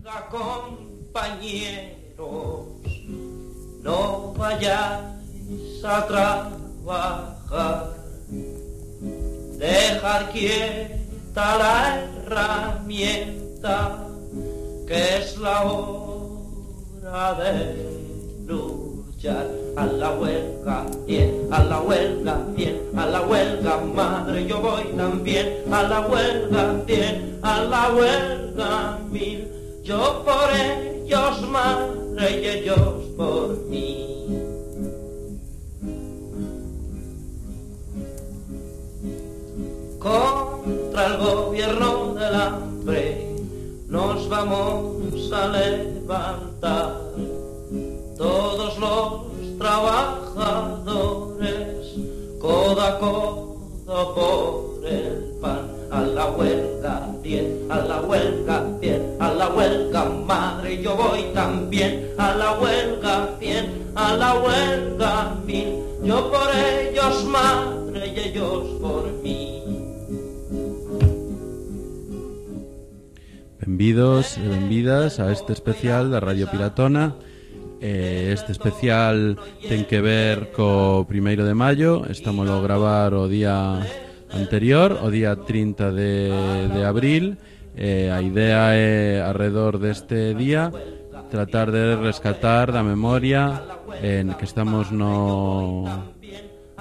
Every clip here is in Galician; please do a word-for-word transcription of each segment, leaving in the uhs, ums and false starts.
Compañeros, no vayáis a trabajar, dejar quieta la herramienta, que es la hora de luchar. A la huelga, bien, a la huelga, bien, a la huelga, madre, yo voy también. A la huelga, bien, a la huelga, mil. Yo por ellos, madre, y ellos por mí. Contra el gobierno del hambre nos vamos a levantar, todos los trabajadores, codo a codo por el pan. A la huelga, bien, a la huelga, bien, a la huelga, madre, yo voy también. A la huelga, bien, a la huelga, mil. Yo por ellos, madre, y ellos por mí. Benvidos e benvidas a este especial da Radio Piratona. Eh, este especial ten que ver co primeiro de maio. Estamos a gravar o día anterior, o día trinta de, de abril. Eh, a idea é, alrededor deste día, tratar de rescatar da memoria en que estamos no,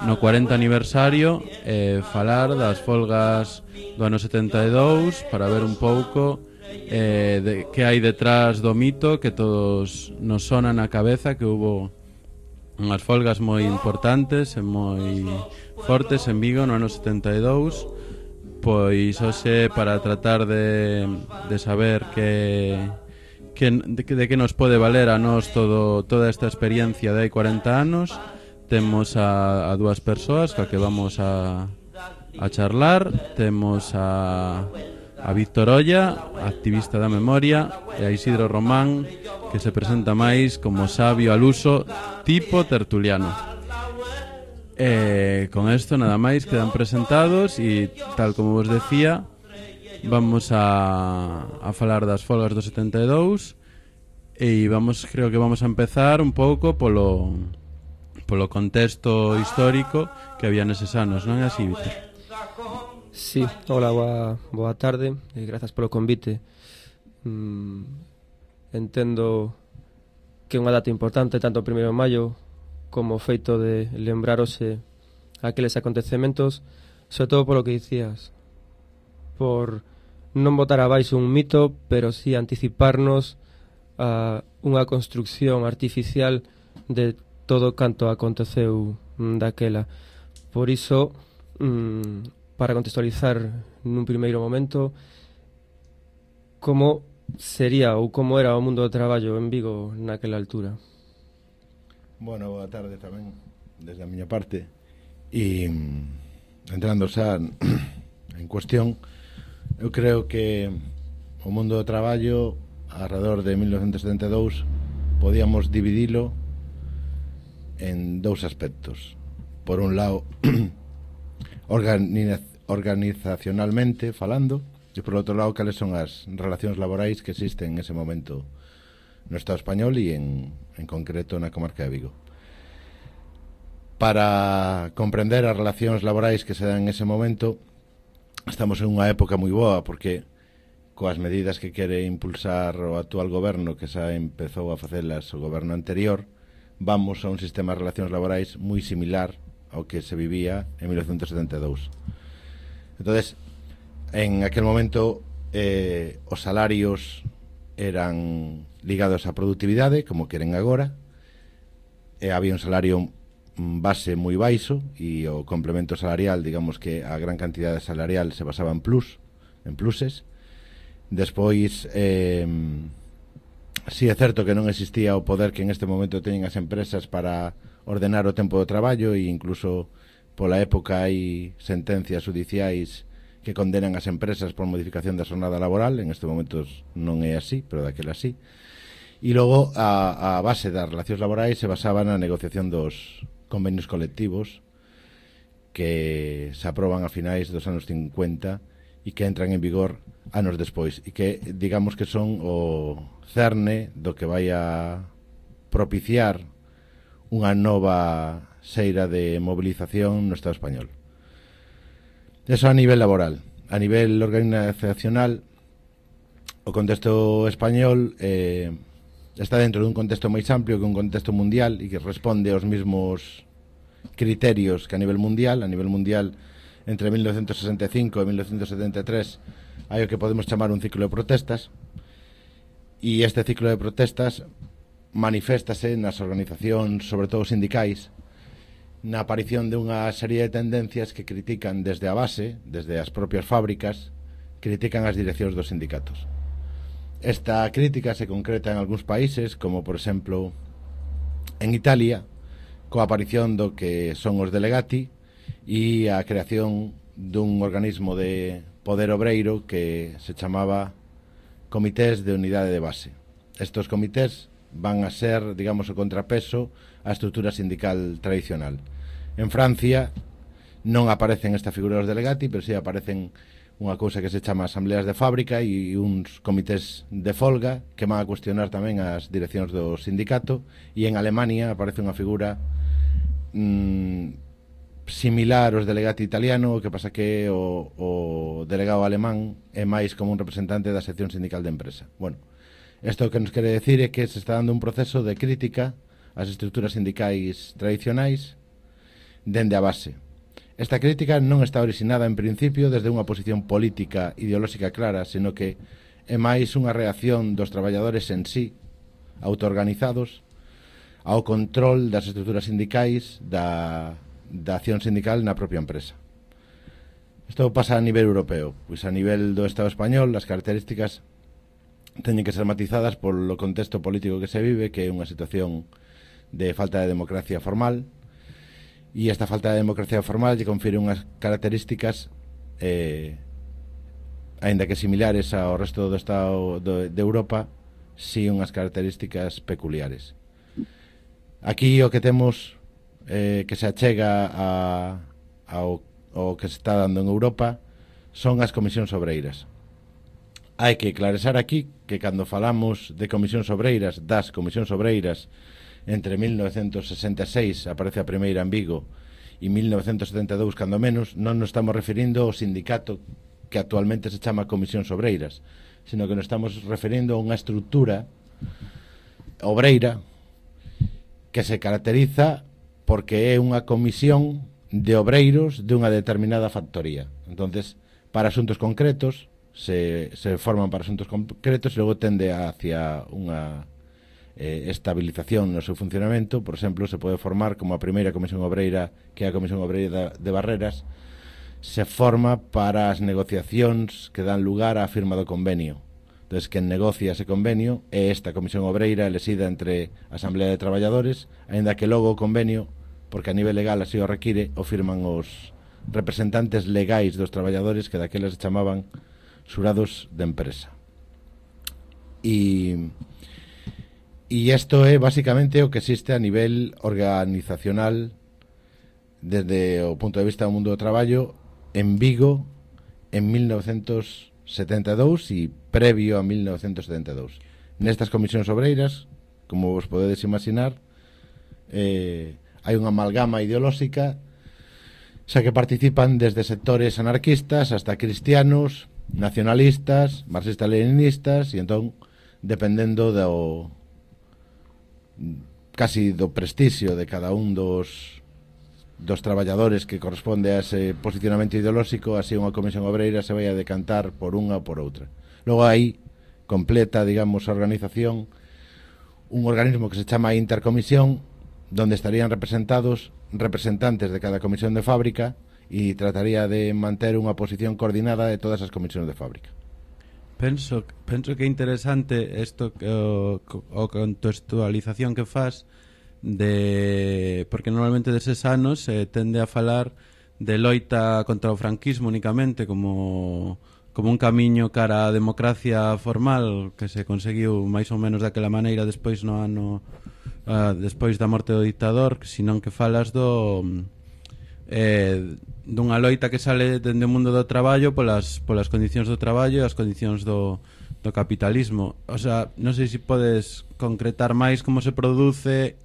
no cuarenta aniversario, eh, falar das folgas do ano setenta e dous, para ver un pouco eh, de, que hai detrás do mito que todos nos sona na cabeza, que hubo unhas folgas moi importantes e moi fortes en Vigo no ano setenta e dous. Pois hoxe, para tratar de, de saber que, que, de, de que nos pode valer a nós todo, toda esta experiencia de hai cuarenta anos, temos a, a dúas persoas ca que vamos a, a charlar. Temos a, a Víctor Olla, activista da memoria, e a Isidro Román, que se presenta máis como sabio al uso tipo tertuliano. Eh, con esto nada máis, quedan presentados e, tal como vos decía, vamos a, a falar das folgas do setenta e dous e vamos, creo que vamos a empezar un pouco polo, polo contexto histórico que había neses anos, non é así, Víctor? Sí, hola, boa, boa tarde e grazas polo convite. mm, Entendo que é unha data importante, tanto o primeiro de maio como o feito de lembrarose aqueles acontecementos, sobre todo polo que dicías, por non botar abaixo un mito, pero sí anticiparnos a unha construcción artificial de todo canto aconteceu daquela. Por iso, mmm, para contextualizar nun primeiro momento, como sería ou como era o mundo do traballo en Vigo naquela altura. Bueno, boa tarde tamén desde a miña parte. E entrando xa en cuestión, eu creo que o mundo do traballo alrededor de mil novecentos setenta e dous podíamos dividilo en dous aspectos. Por un lado, organiz organizacionalmente falando, e por outro lado, cales son as relacións laborais que existen en ese momento no Estado español e en, en concreto na comarca de Vigo. Para comprender as relacións laborais que se dan en ese momento, estamos en unha época moi boa, porque coas medidas que quere impulsar o actual goberno, que xa empezou a facelas o goberno anterior, vamos a un sistema de relacións laborais moi similar ao que se vivía en mil novecentos setenta e dous. Entonces, en aquel momento eh, os salarios eran ligados á productividade, como queren agora, e había un salario base moi baixo e o complemento salarial, digamos que a gran cantidade salarial se basaba en plus, en pluses. Despois, eh, si é certo que non existía o poder que en este momento teñen as empresas para ordenar o tempo do traballo, e incluso pola época hai sentencias judiciais que condenan as empresas por modificación da xornada laboral. En este momento non é así, pero daquela así. E logo a, a base das relacións laborais se basaba na negociación dos convenios colectivos que se aproban a finais dos anos cincuenta e que entran en vigor anos despois, e que digamos que son o cerne do que vai a propiciar unha nova xeira de movilización no Estado español. Eso a nivel laboral. A nivel organizacional, o contexto español eh, está dentro dun contexto máis amplio que un contexto mundial e que responde aos mesmos criterios que a nivel mundial. A nivel mundial, entre mil novecientos sesenta e cinco e mil novecientos setenta e tres hai o que podemos chamar un ciclo de protestas, e este ciclo de protestas maniféstase nas organizacións, sobre todo sindicais, na aparición de unha serie de tendencias que critican desde a base, desde as propias fábricas, critican as direccións dos sindicatos. Esta crítica se concreta en algúns países, como por exemplo en Italia, coa aparición do que son os delegati e a creación dun organismo de poder obreiro que se chamaba Comités de Unidade de Base. Estos comités van a ser, digamos, o contrapeso á estrutura sindical tradicional. En Francia non aparecen esta figura dos delegati, pero si aparecen unha cousa que se chama asambleas de fábrica e uns comités de folga que van a cuestionar tamén as direccións do sindicato, e en Alemania aparece unha figura mmm, similar aos delegati italiano, o que pasa que o, o delegado alemán é máis como un representante da sección sindical de empresa. Bueno, isto que nos quere decir é que se está dando un proceso de crítica ás estruturas sindicais tradicionais dende a base. Esta crítica non está originada en principio desde unha posición política ideolóxica clara, sino que é máis unha reacción dos traballadores en sí, autoorganizados, ao control das estruturas sindicais da, da acción sindical na propia empresa. Isto pasa a nivel europeo, pois a nivel do Estado español as características teñen que ser matizadas polo contexto político que se vive, que é unha situación de falta de democracia formal, e esta falta de democracia formal lle confire unhas características eh, aínda que similares ao resto do Estado do, de Europa, si unhas características peculiares. Aquí o que temos eh, que se achega a, ao, ao que se está dando en Europa son as comisións obreiras. Hai que clarear aquí que cando falamos de comisións obreiras, das comisións obreiras, entre mil novecientos sesenta e seis aparece a primeira en Vigo e mil novecientos setenta e dous cando menos, non nos estamos referindo ao sindicato que actualmente se chama comisións obreiras, sino que nos estamos referindo a unha estrutura obreira que se caracteriza porque é unha comisión de obreiros de unha determinada factoría. Entonces, para asuntos concretos se, se forman para asuntos concretos e logo tende hacia unha eh, estabilización no seu funcionamento. Por exemplo, se pode formar como a primeira comisión obreira, que é a Comisión Obreira de Barreras, se forma para as negociacións que dan lugar á firma do convenio. Entonces, quen negocia ese convenio é esta comisión obreira elexida entre a Asamblea de Traballadores, aínda que logo o convenio, porque a nivel legal así o require, o firman os representantes legais dos traballadores, que daquelas se chamaban xurados de empresa. E e isto é basicamente o que existe a nivel organizacional desde o punto de vista do mundo do traballo en Vigo en mil novecientos setenta e dous e previo a mil novecientos setenta e dous. Nestas comisións obreiras, como vos podedes imaginar, eh, hai unha amalgama ideolóxica, xa que participan desde sectores anarquistas hasta cristianos, nacionalistas, marxistas-leninistas, e entón, dependendo do casi do prestixio de cada un dos dos traballadores que corresponde a ese posicionamento ideolóxico, así unha comisión obreira se vai a decantar por unha ou por outra. Logo aí completa, digamos, a organización un organismo que se chama Intercomisión, donde estarían representados representantes de cada comisión de fábrica e trataría de manter unha posición coordinada de todas as comisións de fábrica. Penso, penso que é interesante isto, o, o contextualización que faz de, porque normalmente deses anos se tende a falar de loita contra o franquismo únicamente como como un camiño cara á democracia formal que se conseguiu máis ou menos daquela maneira despois no ano uh, despois da morte do dictador, senón que falas do eh, dunha loita que sale dende o mundo do traballo polas, polas condicións do traballo e as condicións do, do capitalismo. O sea, non sei se podes concretar máis como se produce,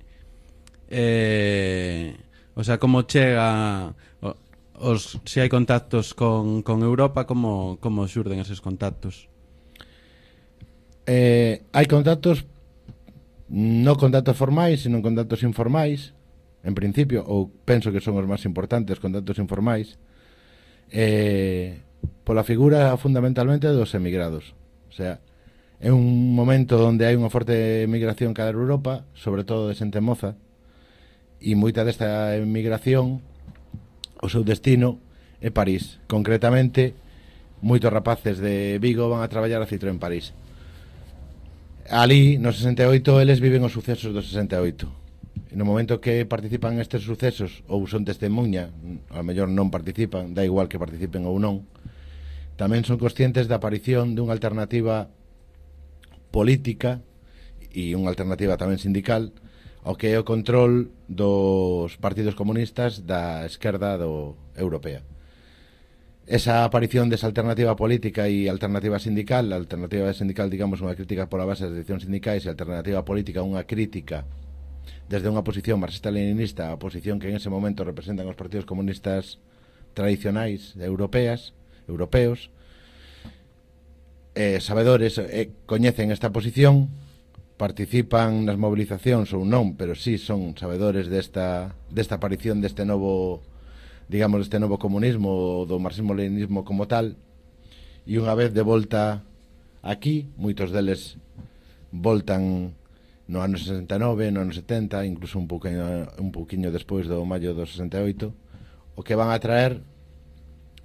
eh, o sea, como chega, os, se hai contactos con, con Europa, como, como xurden eses contactos? Eh, hai contactos, non contactos formais, sino contactos informais, en principio, ou penso que son os máis importantes, contactos informais, eh, pola figura fundamentalmente dos emigrados. O sea, é un momento onde hai unha forte emigración cara a Europa, sobre todo de xente moza, e moita desta emigración, o seu destino é París. Concretamente, moitos rapaces de Vigo van a traballar a Citroën París. Ali, no sesenta e oito, eles viven os sucesos do sesenta e oito. E no momento que participan nestes sucesos, ou son testemunha, a mellor non participan, dá igual que participen ou non, tamén son conscientes da aparición dunha alternativa política e unha alternativa tamén sindical ao que é o control dos partidos comunistas da esquerda do europea. Esa aparición desa alternativa política e alternativa sindical, a alternativa sindical, digamos, unha crítica pola base das direccións sindicais, e a alternativa política unha crítica desde unha posición marxista-leninista, a posición que en ese momento representan os partidos comunistas tradicionais europeas, europeos, eh, sabedores eh, coñecen esta posición, participan nas movilizacións ou non, pero sí son sabedores desta, desta aparición deste novo, digamos, deste novo comunismo, do marxismo-leninismo como tal, e unha vez de volta aquí, moitos deles voltan no ano sesenta e nove, no ano setenta, incluso un pouquinho, un pouquinho despois do maio do sesenta e oito, o que van a traer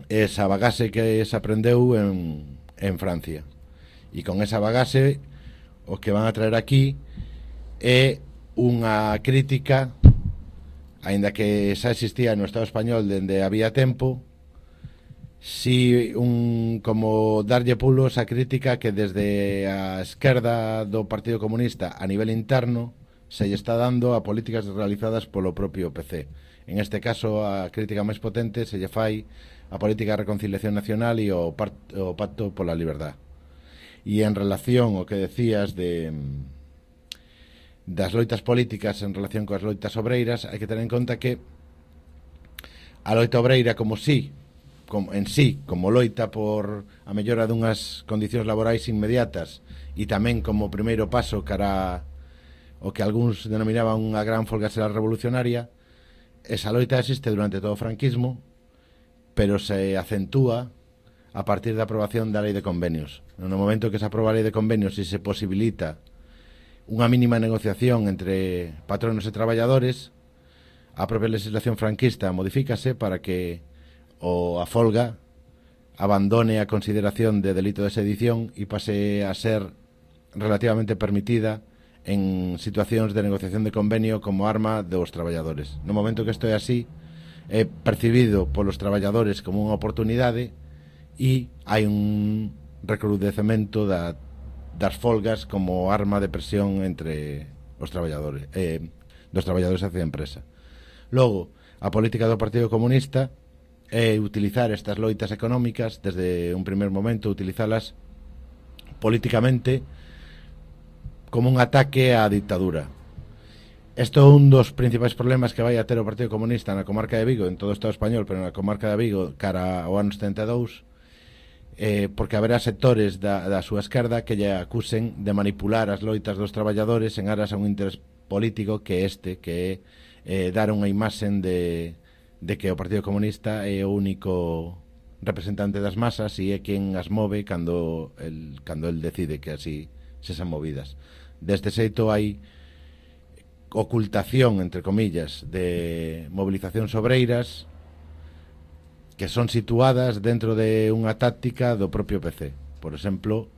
esa bagase que se aprendeu en, en Francia. E con esa bagase o que van a traer aquí é unha crítica, aínda que xa existía no Estado español dende había tempo, si un, como darlle pulo esa crítica que desde a esquerda do Partido Comunista a nivel interno se lle está dando a políticas realizadas polo propio P C. En este caso, a crítica máis potente se lle fai a política de reconciliación nacional e o, part, o pacto pola liberdade. E en relación ao que decías de das loitas políticas en relación coas loitas obreiras, hai que ter en conta que a loita obreira como si, como, en sí, como loita por a mellora dunhas condicións laborais inmediatas e tamén como primeiro paso cara o que algúns denominaban unha gran folga xeral revolucionaria, esa loita existe durante todo o franquismo, pero se acentúa a partir da aprobación da lei de convenios. No momento que se aproba a lei de convenios e se posibilita unha mínima negociación entre patronos e traballadores, a propia legislación franquista modifícase para que o a folga abandone a consideración de delito de sedición e pase a ser relativamente permitida en situacións de negociación de convenio como arma dos traballadores. No momento que isto é así, é percibido polos traballadores como unha oportunidade e hai un recrudecemento da, das folgas como arma de presión entre os traballadores, eh, dos traballadores hacia a empresa. Logo, a política do Partido Comunista é utilizar estas loitas económicas desde un primer momento, utilizalas políticamente como un ataque á dictadura. Isto é un dos principais problemas que vai a ter o Partido Comunista na comarca de Vigo, en todo o Estado español, pero na comarca de Vigo cara ao ano setenta e dous, eh, porque haberá sectores da, da súa esquerda que lle acusen de manipular as loitas dos traballadores en aras a un interés político que este, que é eh, dar unha imaxen de, de que o Partido Comunista é o único representante das masas e é quen as move cando el, cando el decide que así se sean movidas. Deste xeito hai ocultación, entre comillas, de movilizacións obreiras que son situadas dentro de unha táctica do propio P C. Por exemplo,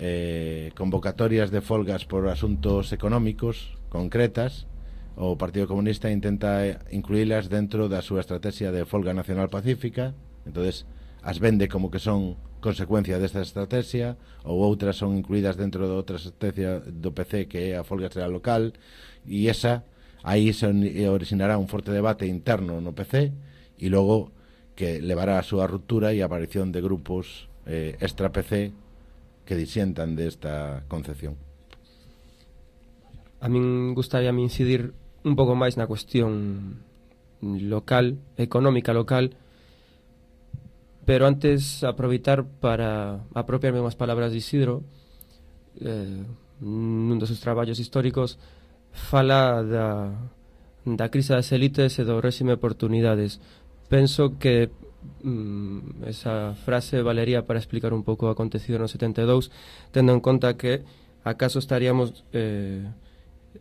eh, convocatorias de folgas por asuntos económicos concretas, o Partido Comunista intenta incluílas dentro da súa estrategia de folga nacional pacífica, entonces as vende como que son consecuencia desta estrategia, ou outras son incluídas dentro de outra estrategia do P C que é a folga xeral local, e esa aí se originará un forte debate interno no P C e logo que levará a súa ruptura e a aparición de grupos eh, extra-P C que disientan desta concepción. A min gustaría me incidir un pouco máis na cuestión local, económica local, pero antes aproveitar para apropiarme unhas palabras de Isidro. Eh, nun dos seus traballos históricos fala da, da crise das élites e do réxime de oportunidades. Penso que mm, esa frase valería para explicar un pouco o acontecido no setenta e dous, tendo en conta que acaso estaríamos eh,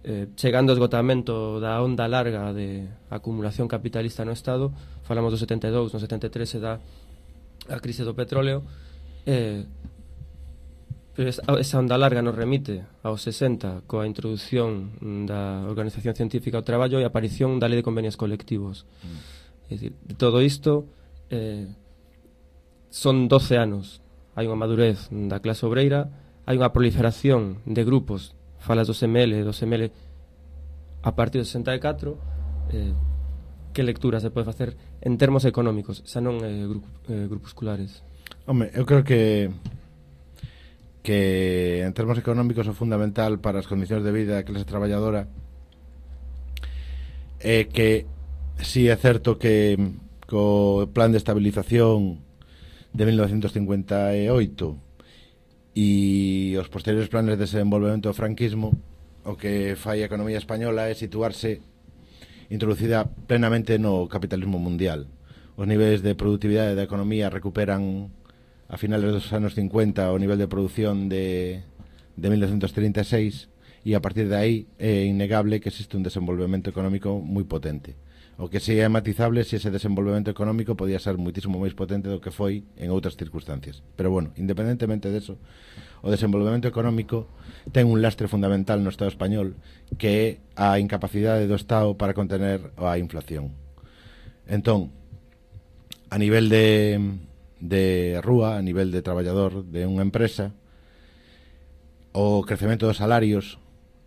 eh, chegando ao esgotamento da onda larga de acumulación capitalista no Estado. Falamos do setenta e dous, no setenta e tres se dá a crise do petróleo. eh, Esa onda larga nos remite aos sesenta coa introducción da Organización Científica ao Traballo e a aparición da Lei de Convenios Colectivos. Mm. É dicir, de todo isto eh, son doce anos. Hai unha madurez da clase obreira, hai unha proliferación de grupos, falas dos M L, dos M L a partir do sesenta e catro. eh, que lectura se pode facer en termos económicos, xa non eh, grup, eh, grupusculares? Home, eu creo que que en termos económicos o fundamental para as condicións de vida da clase traballadora é que si é certo que co plan de estabilización de mil novecentos cincuenta e oito e os posteriores planes de desenvolvemento do franquismo, o que fai a economía española é situarse introducida plenamente no capitalismo mundial. Os niveis de productividade da economía recuperan a finales dos anos cincuenta o nivel de produción de, de mil novecientos trinta e seis, e a partir de aí é innegable que existe un desenvolvemento económico moi potente. O que si é matizable se ese desenvolvemento económico podía ser muitísimo máis potente do que foi en outras circunstancias. Pero bueno, independentemente de eso, o desenvolvemento económico ten un lastre fundamental no Estado español, que é a incapacidade do Estado para contener a inflación. Entón, a nivel de de rúa, a nivel de traballador de unha empresa, o crecemento dos salarios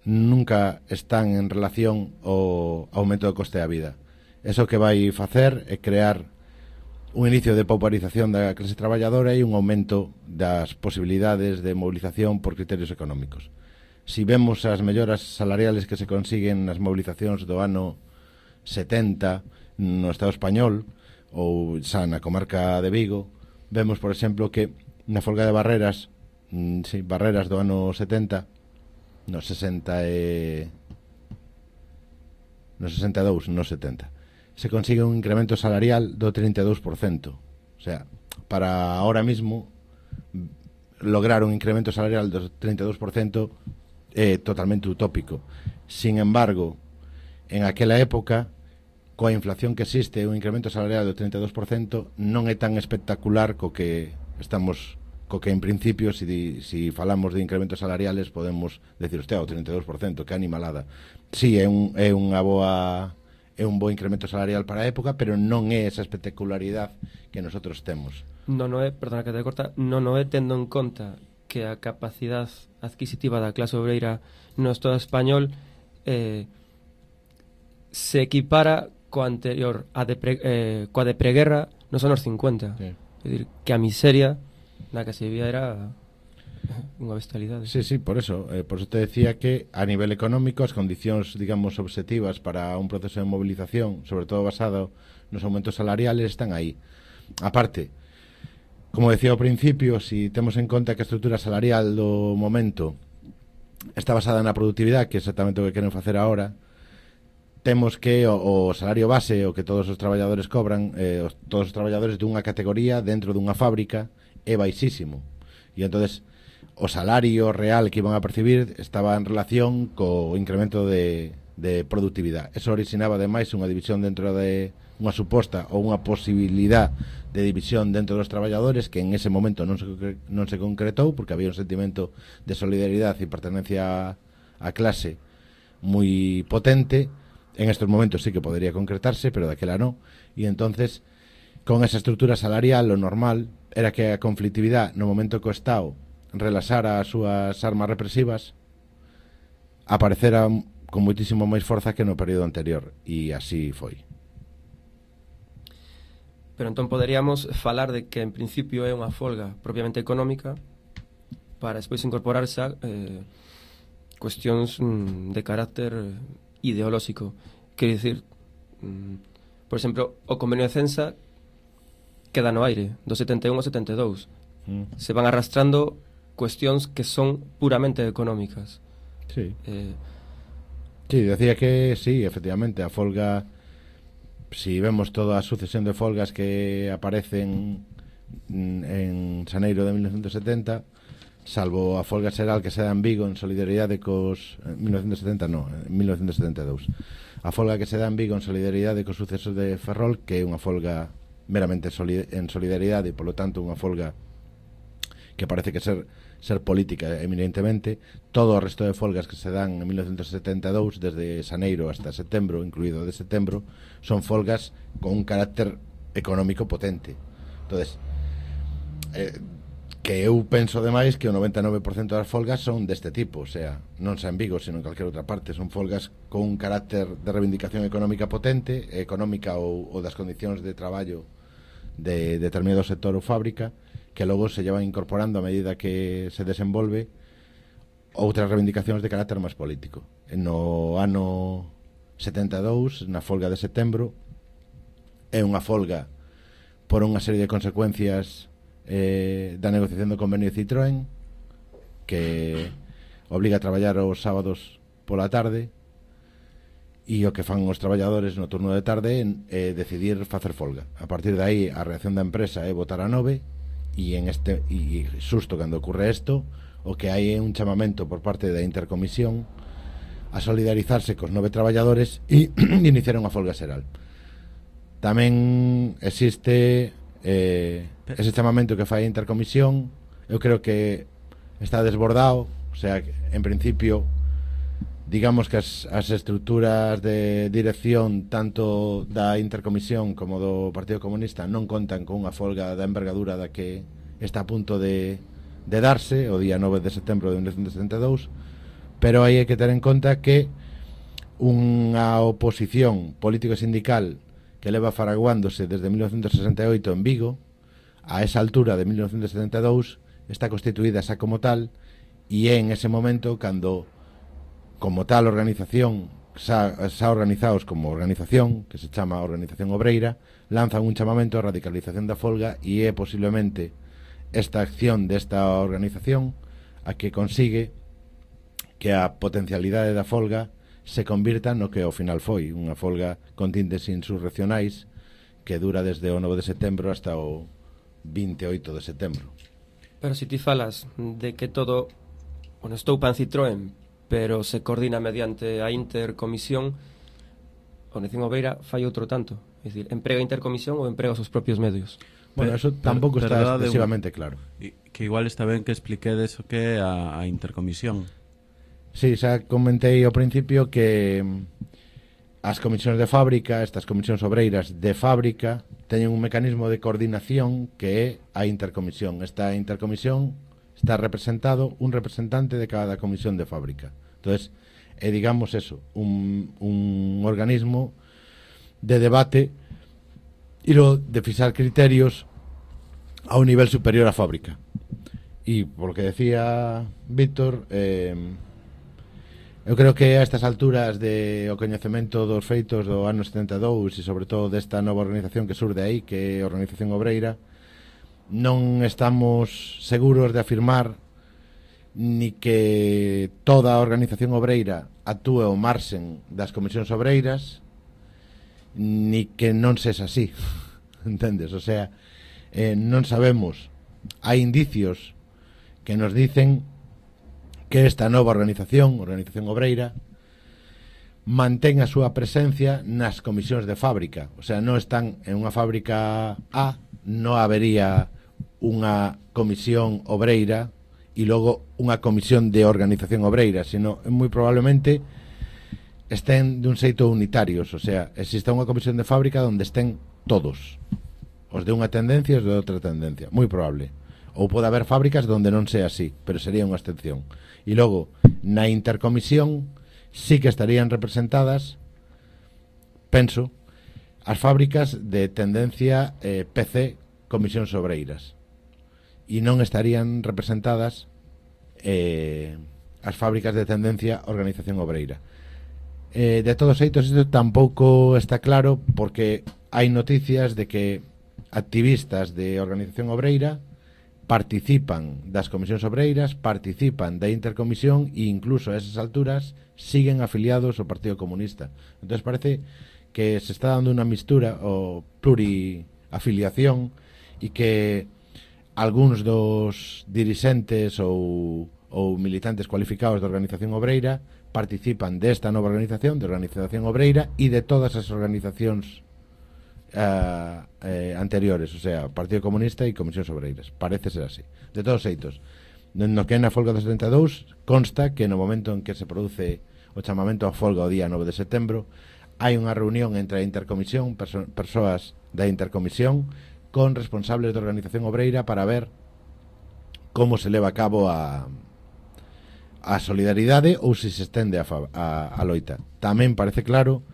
nunca están en relación ao aumento do coste da vida. Eso que vai facer é crear un inicio de pauparización da clase traballadora e un aumento das posibilidades de movilización por criterios económicos. Si vemos as melloras salariales que se consiguen nas movilizacións do ano setenta no Estado español ou xa na comarca de Vigo, vemos, por exemplo, que na folga de Barreras, mm, sí, Barreras do ano setenta, no sesenta e no sesenta e dous, no setenta, se consigue un incremento salarial do trinta e dous por cento. O sea, para ahora mismo lograr un incremento salarial do trinta e dous por cento é totalmente utópico. Sin embargo, en aquela época, coa inflación que existe, un incremento salarial do trinta e dous por cento non é tan espectacular co que estamos, co que en principio, si, si falamos de incrementos salariales, podemos decir, hostia, o trinta e dous por cento, que animalada. Si, é un, é unha boa é un bo incremento salarial para a época, pero non é esa espectacularidade que nosotros temos. Non é, perdona que te corta, non é tendo en conta que a capacidade adquisitiva da clase obreira no Estado español eh, se equipara coa anterior a de pre, eh, coa de preguerra nos anos cincuenta. Sí. É dicir, que a miseria na que se vivía era unha bestialidade. Sí, sí, por eso eh, por eso te decía que a nivel económico as condicións, digamos, objetivas para un proceso de movilización, sobre todo basado nos aumentos salariales, están aí. Aparte, como decía ao principio, si temos en conta que a estrutura salarial do momento está basada na productividade, que é exactamente o que queren facer agora, temos que o, o salario base, o que todos os traballadores cobran, eh, os, todos os traballadores dunha categoría dentro dunha fábrica é baixísimo. E entonces o salario real que iban a percibir estaba en relación co incremento de, de productividade. Eso originaba ademais unha división dentro de unha suposta ou unha posibilidad de división dentro dos traballadores que en ese momento non se, non se concretou porque había un sentimento de solidaridade e pertenencia á clase moi potente. En estos momentos sí que podría concretarse, pero daquela no. E entonces, con esa estrutura salarial, lo normal era que a conflictividade no momento que o Estado relaxara as súas armas represivas aparecera con moitísimo máis forza que no período anterior, e así foi. Pero entón poderíamos falar de que en principio é unha folga propiamente económica para despois incorporarse a eh, cuestións mm, de carácter ideolóxico. Quero dicir, mm, por exemplo, o convenio de Censa queda no aire, do setenta e un ao setenta e dous. Mm. Se van arrastrando cuestións que son puramente económicas. Sí. Eh, sí, decía que sí, efectivamente, a folga, si vemos toda a sucesión de folgas que aparecen en xaneiro de mil novecientos setenta, salvo a folga xeral que se dá en Vigo en solidaridade cos... En mil novecientos setenta non, en mil novecientos setenta e dous. A folga que se dá en Vigo en solidaridade cos sucesos de Ferrol, que é unha folga meramente soli en solidaridade e, polo tanto, unha folga que parece que ser ser política eminentemente. Todo o resto de folgas que se dan en mil novecientos setenta e dous, desde xaneiro hasta setembro, incluído de setembro, son folgas con un carácter económico potente. Entonces, eh, que eu penso demais que o noventa e nove por cento das folgas son deste tipo, o sea, non xa en Vigo, sino en calquera outra parte, son folgas con un carácter de reivindicación económica potente, económica ou, ou das condicións de traballo de determinado sector ou fábrica, que logo se llevan incorporando a medida que se desenvolve outras reivindicacións de carácter máis político. No ano setenta e dous, na folga de setembro, é unha folga por unha serie de consecuencias eh, da negociación do convenio de Citroën, que obliga a traballar os sábados pola tarde, e o que fan os traballadores no turno de tarde é decidir facer folga. A partir de aí, a reacción da empresa é votar a nove, e en este e xusto cando ocurre isto, o que hai é un chamamento por parte da Intercomisión a solidarizarse cos nove traballadores e iniciar unha folga xeral. Tamén existe eh, ese chamamento que fai a Intercomisión. Eu creo que está desbordado, o sea, en principio, digamos que as, as estruturas de dirección tanto da Intercomisión como do Partido Comunista non contan con unha folga da envergadura da que está a punto de, de darse o día nove de setembro de mil novecientos setenta e dous, pero aí hai que ter en conta que unha oposición político e sindical que leva faraguándose desde mil novecientos sesenta e oito en Vigo, a esa altura de mil novecientos setenta e dous está constituída xa como tal, e é en ese momento cando, como tal organización, xa, xa organizados como organización, que se chama Organización Obreira, lanzan un chamamento a radicalización da folga, e é posiblemente esta acción desta organización a que consigue que a potencialidade da folga se convirta no que ao final foi unha folga con tintes insurreccionais que dura desde o nove de setembro hasta o vinte e oito de setembro. Pero se ti falas de que todo, bueno, estou pan Citroën, pero se coordina mediante a Intercomisión, a Organización Obreira fai outro tanto, é dicir, emprega a Intercomisión ou emprega os seus propios medios. Bueno, eso tampouco está excesivamente claro. Que igual está ben que expliquedes o que é a, a Intercomisión. Sí, xa comentei ao principio que as comisións de fábrica, estas comisións obreiras de fábrica, teñen un mecanismo de coordinación que é a Intercomisión. Esta Intercomisión está representado un representante de cada comisión de fábrica. Entonces, é, digamos, eso, un, un organismo de debate e lo de fixar criterios a un nivel superior á fábrica. E, por lo que decía Víctor, eh, eu creo que a estas alturas de o coñecemento dos feitos do ano setenta e dous e sobre todo desta nova organización que surde aí, que é a Organización Obreira, non estamos seguros de afirmar ni que toda a Organización Obreira actúe ao marxen das comisións obreiras, ni que non sexa así, entendes? O sea, eh, non sabemos, hai indicios que nos dicen que esta nova organización, Organización Obreira, mantén a súa presencia nas comisións de fábrica. O sea, non están en unha fábrica A, non habería unha comisión obreira e logo unha comisión de organización obreira, sino moi probablemente estén dun xeito unitarios. O sea, existe unha comisión de fábrica onde estén todos, os de unha tendencia e os de outra tendencia, moi probable. Ou pode haber fábricas onde non sea así, pero sería unha excepción. E logo, na Intercomisión sí que estarían representadas, penso, as fábricas de tendencia eh, P C, Comisións Obreiras, e non estarían representadas eh, as fábricas de tendencia Organización Obreira. Eh, de todos xeitos, isto tampouco está claro, porque hai noticias de que activistas de Organización Obreira participan das comisións obreiras, participan da intercomisión e incluso a esas alturas siguen afiliados ao Partido Comunista. Entón parece que se está dando unha mistura o pluriafiliación e que algúns dos dirixentes ou, ou militantes cualificados da Organización Obreira participan desta nova organización, de Organización Obreira, e de todas as organizacións Uh, eh, anteriores, o sea, Partido Comunista e Comisións Obreiras. Parece ser así. De todos xeitos, no que é na folga do setenta e dous, consta que no momento en que se produce o chamamento a folga o día nove de setembro, hai unha reunión entre a intercomisión, perso persoas da intercomisión, con responsables da Organización Obreira para ver como se leva a cabo a a solidaridade ou se se estende a, a, a loita. Tamén parece claro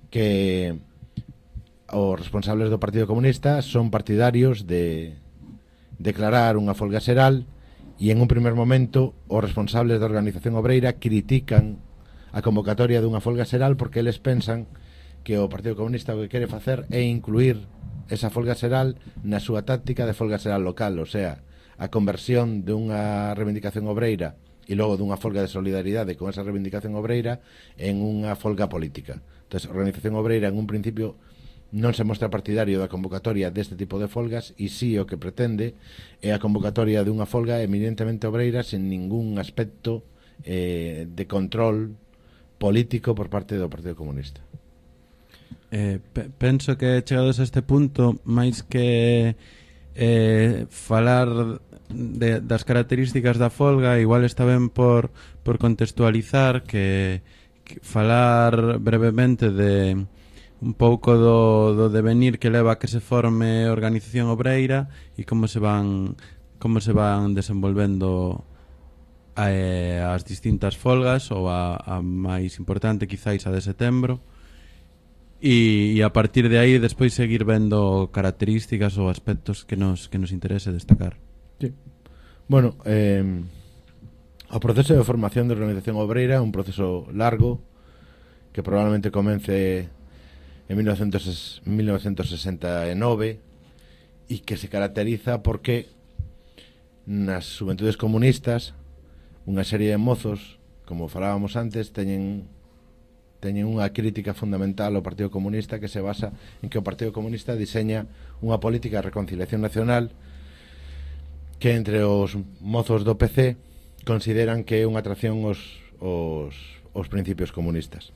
que os responsables do Partido Comunista son partidarios de declarar unha folga xeral, e en un primer momento os responsables da Organización Obreira critican a convocatoria dunha folga xeral porque eles pensan que o Partido Comunista o que quere facer é incluir esa folga xeral na súa táctica de folga xeral local, o sea, a conversión dunha reivindicación obreira e logo dunha folga de solidaridade con esa reivindicación obreira en unha folga política. Entón, a Organización Obreira en un principio non se mostra partidario da convocatoria deste tipo de folgas, e si o que pretende é a convocatoria dunha folga eminentemente obreira sen ningún aspecto eh, de control político por parte do Partido Comunista. Eh, pe penso que chegados a este punto, máis que eh, falar de, das características da folga, igual está ben por, por contextualizar que, que falar brevemente de un pouco do, do devenir que leva a que se forme Organización Obreira e como se van como se van desenvolvendo eh, as distintas folgas, ou a, a máis importante quizáis a de setembro, e, e a partir de aí despois seguir vendo características ou aspectos que nos, que nos interese destacar. Sí. Bueno, eh, o proceso de formación de Organización Obreira é un proceso largo que probablemente comence en mil novecientos sesenta e nove e que se caracteriza porque nas xuventudes comunistas unha serie de mozos, como falábamos antes, teñen teñen unha crítica fundamental ao Partido Comunista que se basa en que o Partido Comunista diseña unha política de reconciliación nacional que entre os mozos do P C consideran que é unha atracción aos, aos, aos principios comunistas.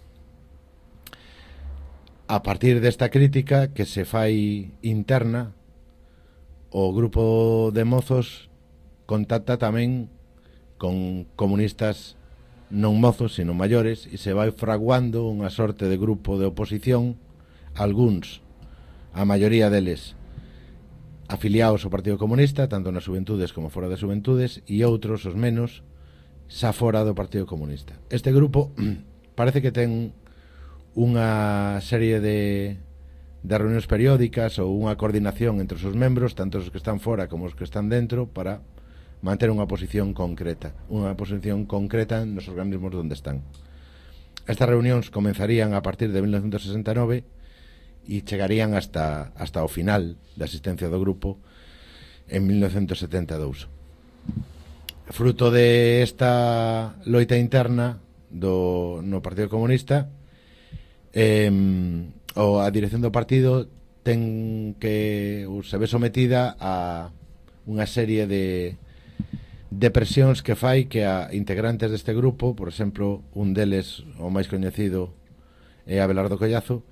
A partir desta crítica que se fai interna, o grupo de mozos contacta tamén con comunistas non mozos, sino maiores, e se vai fraguando unha sorte de grupo de oposición, algúns, a maioría deles, afiliados ao Partido Comunista, tanto nas xuventudes como fora das xuventudes, e outros, os menos, xa fora do Partido Comunista. Este grupo parece que ten unha serie de, de reunións periódicas ou unha coordinación entre os seus membros, tanto os que están fora como os que están dentro, para manter unha posición concreta unha posición concreta nos organismos onde están. Estas reunións comenzarían a partir de mil novecientos sesenta e nove e chegarían hasta, hasta o final da existencia do grupo en mil novecientos setenta e dous. Fruto de esta loita interna do, no Partido Comunista, Eh, o a dirección do partido ten que se ve sometida a unha serie de de presións que fai que a integrantes deste grupo, por exemplo, un deles, o máis coñecido, é Abelardo Collazo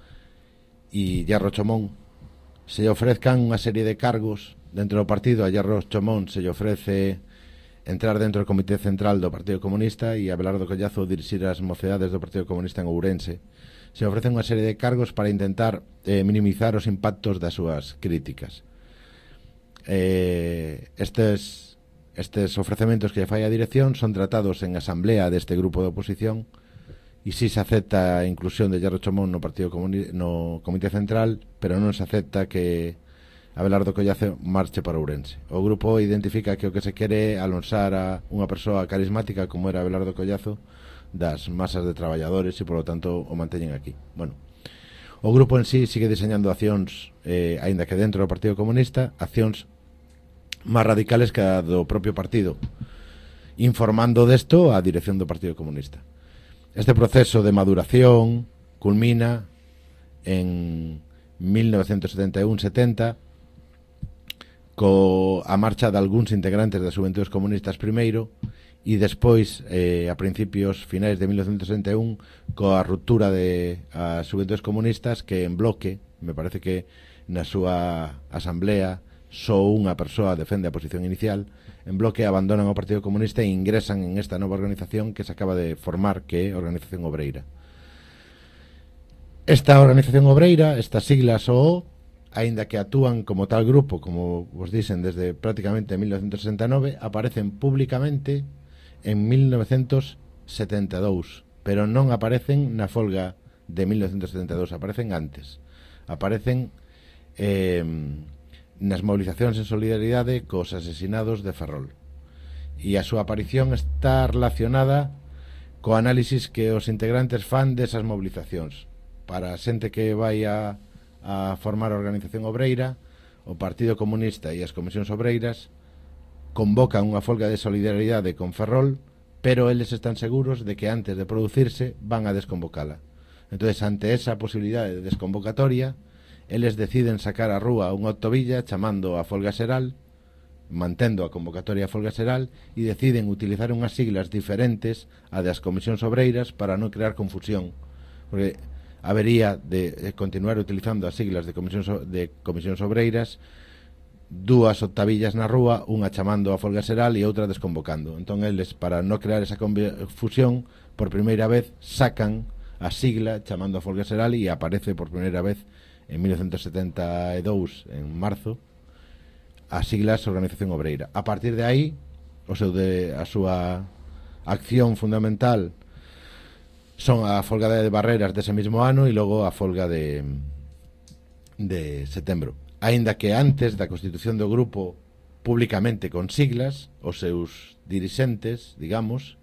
e Hierro Chomón, se lle ofrezcan unha serie de cargos dentro do partido. A Hierro Chomón se lle ofrece entrar dentro do Comité Central do Partido Comunista e a Abelardo Collazo dirixir as mocedades do Partido Comunista en Ourense. Se ofrecen unha serie de cargos para intentar eh, minimizar os impactos das súas críticas. Eh, estes, estes ofrecementos que fai a dirección son tratados en asamblea deste grupo de oposición e si se acepta a inclusión de Hierro Chomón no Partido Comuni- no Comité Central, pero non se acepta que Abelardo Collazo marche para Ourense. O grupo identifica que o que se quere é alonsar a unha persoa carismática como era Abelardo Collazo das masas de traballadores e, polo tanto, o manteñen aquí. Bueno, o grupo en sí sigue diseñando accións, eh, aínda que dentro do Partido Comunista, accións máis radicales que a do propio partido, informando desto a dirección do Partido Comunista. Este proceso de maduración culmina en mil novecientos setenta e un setenta co a marcha de algúns integrantes das Xuventudes Comunistas primeiro e despois, eh, a principios finais de mil novecientos setenta e un, coa ruptura de as Xuventudes Comunistas, que en bloque, me parece que na súa asamblea só unha persoa defende a posición inicial, en bloque abandonan o Partido Comunista e ingresan en esta nova organización que se acaba de formar, que é a Organización Obreira. Esta Organización Obreira, estas siglas O O, aínda que actúan como tal grupo, como vos dicen, desde prácticamente mil novecientos sesenta e nove, aparecen públicamente en mil novecientos setenta e dous, pero non aparecen na folga de mil novecientos setenta e dous, aparecen antes. Aparecen eh, nas movilizacións en solidaridade cos asesinados de Ferrol, e a súa aparición está relacionada co análisis que os integrantes fan desas movilizacións. Para a xente que vai a, a formar a Organización Obreira, o Partido Comunista e as Comisións Obreiras convocan unha folga de solidaridade con Ferrol, pero eles están seguros de que antes de producirse van a desconvocala. Entonces, ante esa posibilidade de desconvocatoria, eles deciden sacar a rúa unha autovilla chamando a folga xeral, mantendo a convocatoria a folga xeral, e deciden utilizar unhas siglas diferentes a das comisións obreiras para non crear confusión, porque habería de continuar utilizando as siglas de comisións, de comisións obreiras, dúas octavillas na rúa, unha chamando a folga xeral e outra desconvocando. Entón eles, para non crear esa confusión, por primeira vez sacan a sigla chamando a folga xeral e aparece por primeira vez en mil novecientos setenta e dous, en marzo, as siglas Organización Obreira. A partir de aí, o seu de, a súa acción fundamental son a folga de Barreras dese mismo ano e logo a folga de, de setembro. Aínda que antes da constitución do grupo públicamente con siglas, os seus dirixentes, digamos,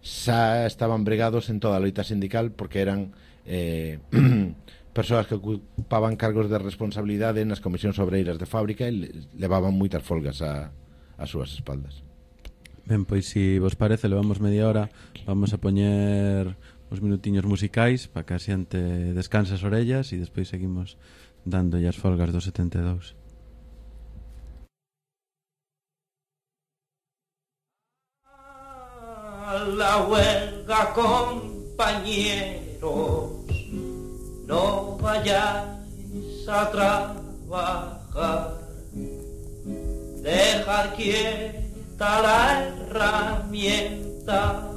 xa estaban bregados en toda a loita sindical porque eran eh, persoas que ocupaban cargos de responsabilidade nas comisións obreiras de fábrica e levaban moitas folgas a, a súas espaldas. Ben, pois se vos parece, levamos media hora, vamos a poñer uns minutiños musicais para que a xente descanse as orellas e despois seguimos dándolle as folgas do setenta e dous. La huelga, compañeros, no vayáis a trabajar, dejar quieta la herramienta,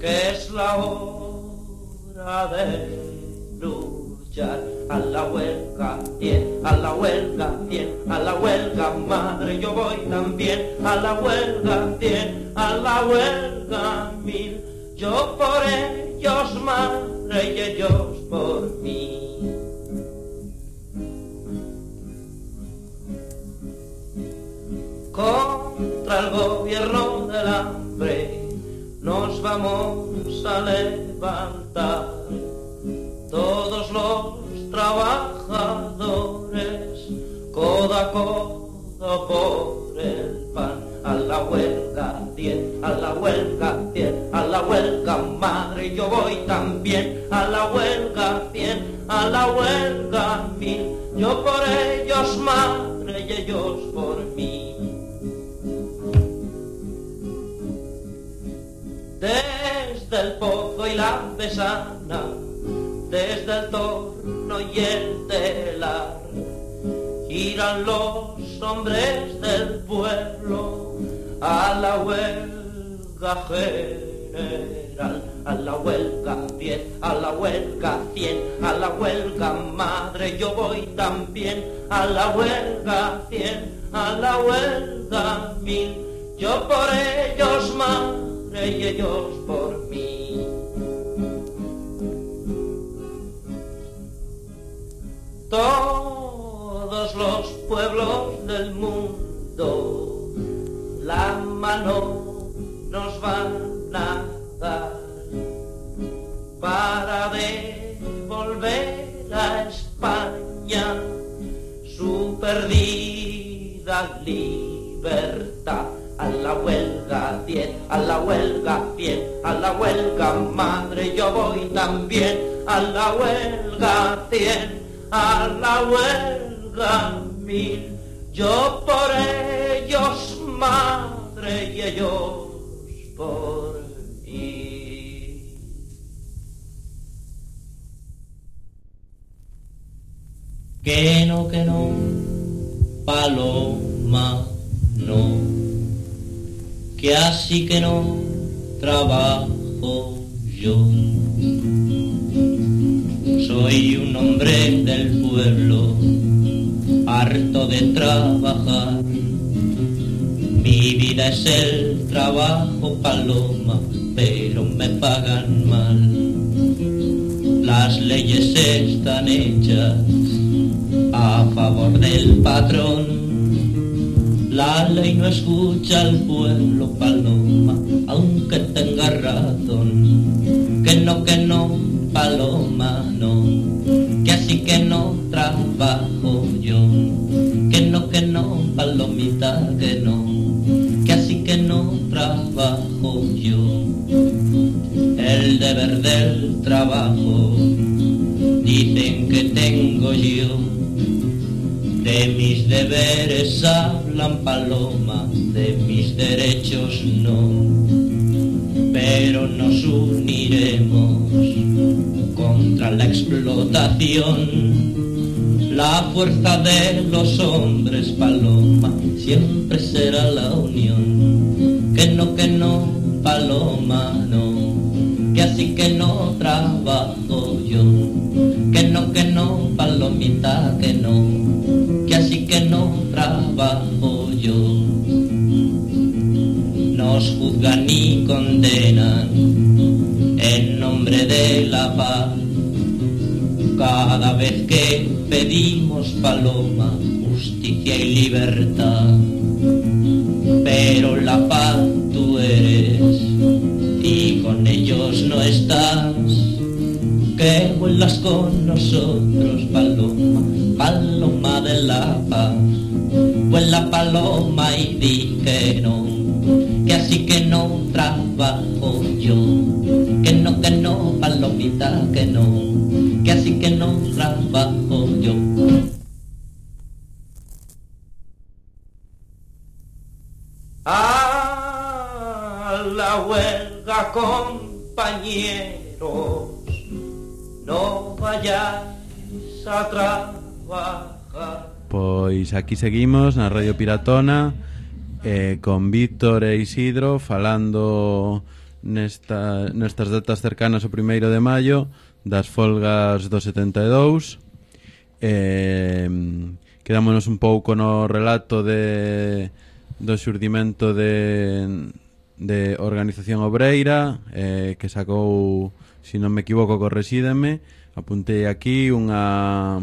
que es la hora de luchar. A la huelga, bien, a la huelga, bien, a la huelga, madre, yo voy también. A la huelga, bien, a la huelga, mil. Yo por ellos, madre, y ellos por mí. Contra el gobierno del hambre nos vamos a levantar, todos los trabajadores, codo a codo por el pan. A la huelga, diez, a la huelga, diez, a la huelga, madre, yo voy también. A la huelga, cien, a la huelga, mil. Yo por ellos, madre, y ellos por mí. Desde el pozo y la besana, desde el torno y el telar, giran los hombres del pueblo a la huelga general. A la huelga diez, a la huelga cien, a la huelga madre, yo voy también. A la huelga cien, a la huelga mil. Yo por ellos, madre, y ellos por mí. nos van a dar para devolver a España su perdida libertad. A la huelga cien, a la huelga cien, a la huelga madre yo voy también. A la huelga cien, a la huelga mil, yo por ellos madre y ellos por mí. Que no, que no, paloma, no, que así que no trabajo yo. Soy un hombre del pueblo, harto de trabajar. Mi vida es el trabajo, paloma, pero me pagan mal. Las leyes están hechas a favor del patrón. La ley no escucha al pueblo, paloma, aunque tenga razón. Que no, que no, paloma, no, que así que no trabajo yo. Que no, que no, palomita, que no, que así que no trabajo yo. El deber del trabajo dicen que tengo yo. De mis deberes hablan, paloma, de mis derechos no. Pero nos uniremos contra la explotación. La fuerza de los hombres, paloma, siempre será la unión. Que no, que no, paloma, no, que así que no trabajo yo. Que no, que no, palomita, que no, que así que no trabajo yo. Nos juzgan y condenan en nombre de la paz. Cada vez que pedimos, paloma, justicia y libertad. Pero la paz tú eres y con ellos no estás. Que vuelas con nosotros, paloma, paloma de la paz. Vuela, paloma, y di que no, que así que no trabajo yo. Que no, que no, palomita, que no, que así que no trabajo yo. A la huelga, compañeros, no vayáis a trabajar. Pois aquí seguimos na Radio Piratona eh, con Víctor e Isidro falando nesta, nestas datas cercanas ao primeiro de maio das folgas do setenta e dous. eh, Quedámonos un pouco no relato de, do xurdimento de, de Organización Obreira, eh, que sacou, se non me equivoco, corresídeme, apuntei aquí unha...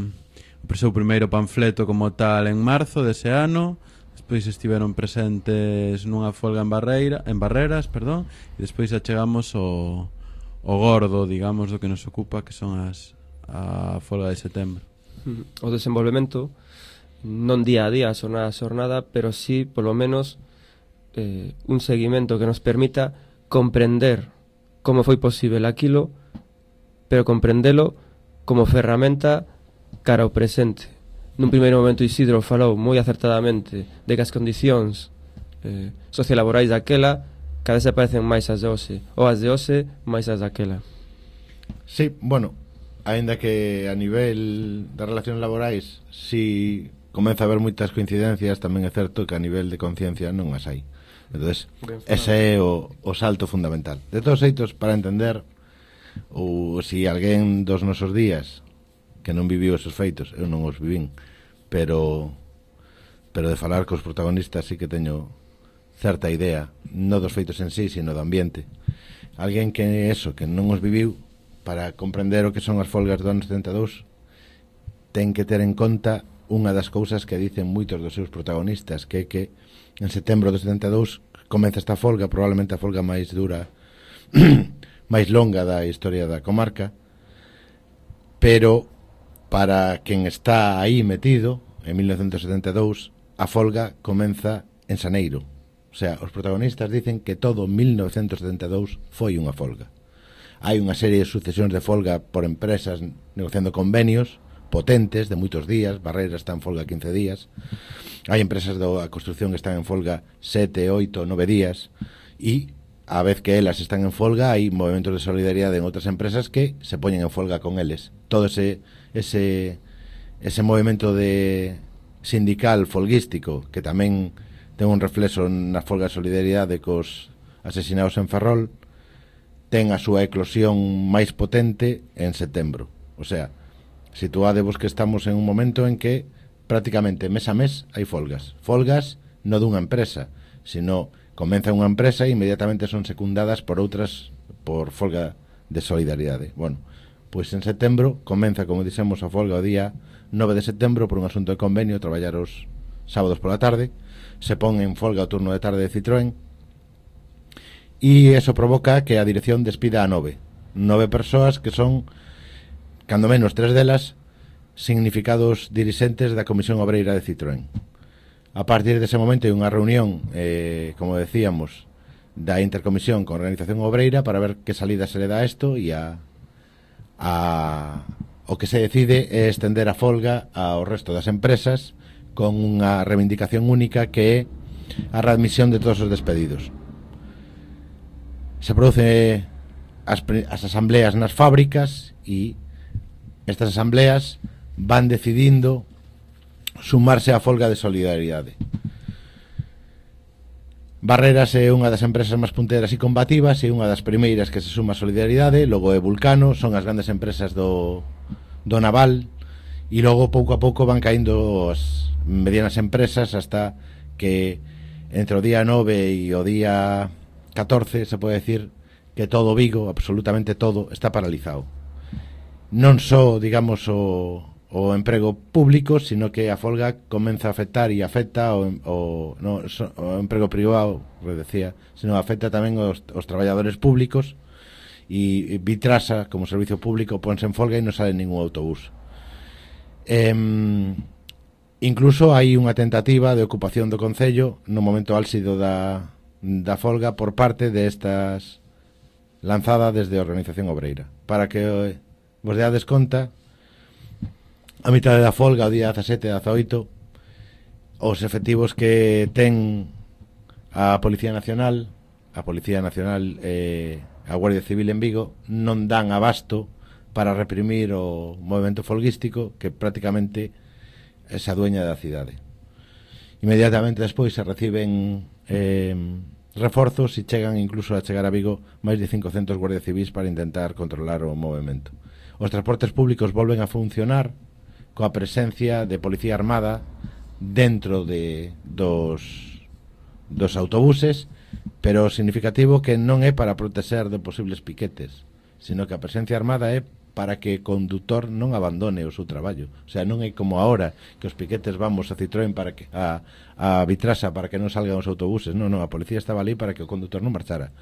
o seu primeiro panfleto como tal en marzo dese ano. Despois estiveron presentes nunha folga en Barreira, en Barreras, perdón, e despois achegamos o, o gordo, digamos, do que nos ocupa, que son as a folga de setembro. O desenvolvemento non día a día, xornada a xornada, pero sí, polo menos, eh, un seguimento que nos permita comprender como foi posible aquilo, pero comprendelo como ferramenta cara ao presente. Nun primeiro momento Isidro falou moi acertadamente de que as condicións eh, sociolaborais daquela cada vez se parecen máis as de hoxe, ou as de hoxe máis as daquela. Sí, bueno, aínda que a nivel das relacións laborais si comeza a haber moitas coincidencias, tamén é certo que a nivel de conciencia non as hai. Entonces, ese é o, o salto fundamental. De todos xeitos, para entender ou se si alguén dos nosos días que non viviu esos feitos, eu non os vivín, pero pero de falar cos protagonistas sí que teño certa idea, non dos feitos en sí, sino do ambiente. Alguén que eso, que non os viviu, para comprender o que son as folgas do ano setenta e dous, ten que ter en conta unha das cousas que dicen moitos dos seus protagonistas, que é que en setembro do setenta e dous comeza esta folga, probablemente a folga máis dura, máis longa da historia da comarca, pero para quen está aí metido, en mil novecentos setenta e dous, a folga comeza en xaneiro. O sea, os protagonistas dicen que todo mil novecentos setenta e dous foi unha folga. Hai unha serie de sucesións de folga por empresas negociando convenios potentes de moitos días. Barreira está en folga quince días. Hai empresas da construcción que están en folga sete, oito, nove días, e a vez que elas están en folga hai movimentos de solidaridade en outras empresas que se poñen en folga con eles. Todo ese ese ese movimento de sindical folguístico que tamén ten un reflexo na folga de solidaridade cos asesinados en Ferrol ten a súa eclosión máis potente en setembro. O sea, situádevos que estamos en un momento en que prácticamente mes a mes hai folgas. Folgas non dunha empresa, sino comeza unha empresa e inmediatamente son secundadas por outras por folga de solidaridade. Bueno, pois en setembro comeza, como dixemos, a folga o día nove de setembro por un asunto de convenio, traballar os sábados pola tarde, se pon en folga o turno de tarde de Citroën e eso provoca que a dirección despida a nove. Nove persoas que son, cando menos tres delas, significados dirixentes da Comisión Obreira de Citroën. A partir dese momento hai unha reunión, eh, como decíamos, da intercomisión con a Organización Obreira para ver que salida se le dá a isto, e a, a, o que se decide é estender a folga ao resto das empresas con unha reivindicación única que é a readmisión de todos os despedidos. Se produce as, as asambleas nas fábricas e estas asambleas van decidindo sumarse á folga de solidaridade. Barreras é unha das empresas máis punteras e combativas e unha das primeiras que se suma a solidaridade, logo é Vulcano, son as grandes empresas do, do naval, e logo pouco a pouco van caindo as medianas empresas hasta que entre o día nove e o día catorce se pode decir que todo Vigo, absolutamente todo, está paralizado. Non só, digamos, o o emprego público, sino que a folga comeza a afectar e afecta o, o, no, o emprego privado, como decía, sino afecta tamén os, os traballadores públicos, e Vitrasa, como servicio público, ponse en folga e non sale ningún autobús. Eh, incluso hai unha tentativa de ocupación do Concello no momento álxido da, da folga por parte destas lanzada desde a Organización Obreira. Para que vos deades conta, a mitad da folga, o día dezasete e dezaoito, os efectivos que ten a Policía Nacional, a Policía Nacional e a Guardia Civil en Vigo non dan abasto para reprimir o movimento folguístico que prácticamente se adueña da cidade. Inmediatamente despois se reciben eh, reforzos e chegan incluso a chegar a Vigo máis de cincocentos guardias civis para intentar controlar o movimento. Os transportes públicos volven a funcionar coa presencia de policía armada dentro de dos, dos autobuses, pero significativo que non é para protexer de posibles piquetes, sino que a presencia armada é para que o condutor non abandone o seu traballo. O sea, non é como ahora que os piquetes vamos a Citroën para que, a, a Vitrasa para que non salgan os autobuses. Non, non, a policía estaba ali para que o condutor non marchara,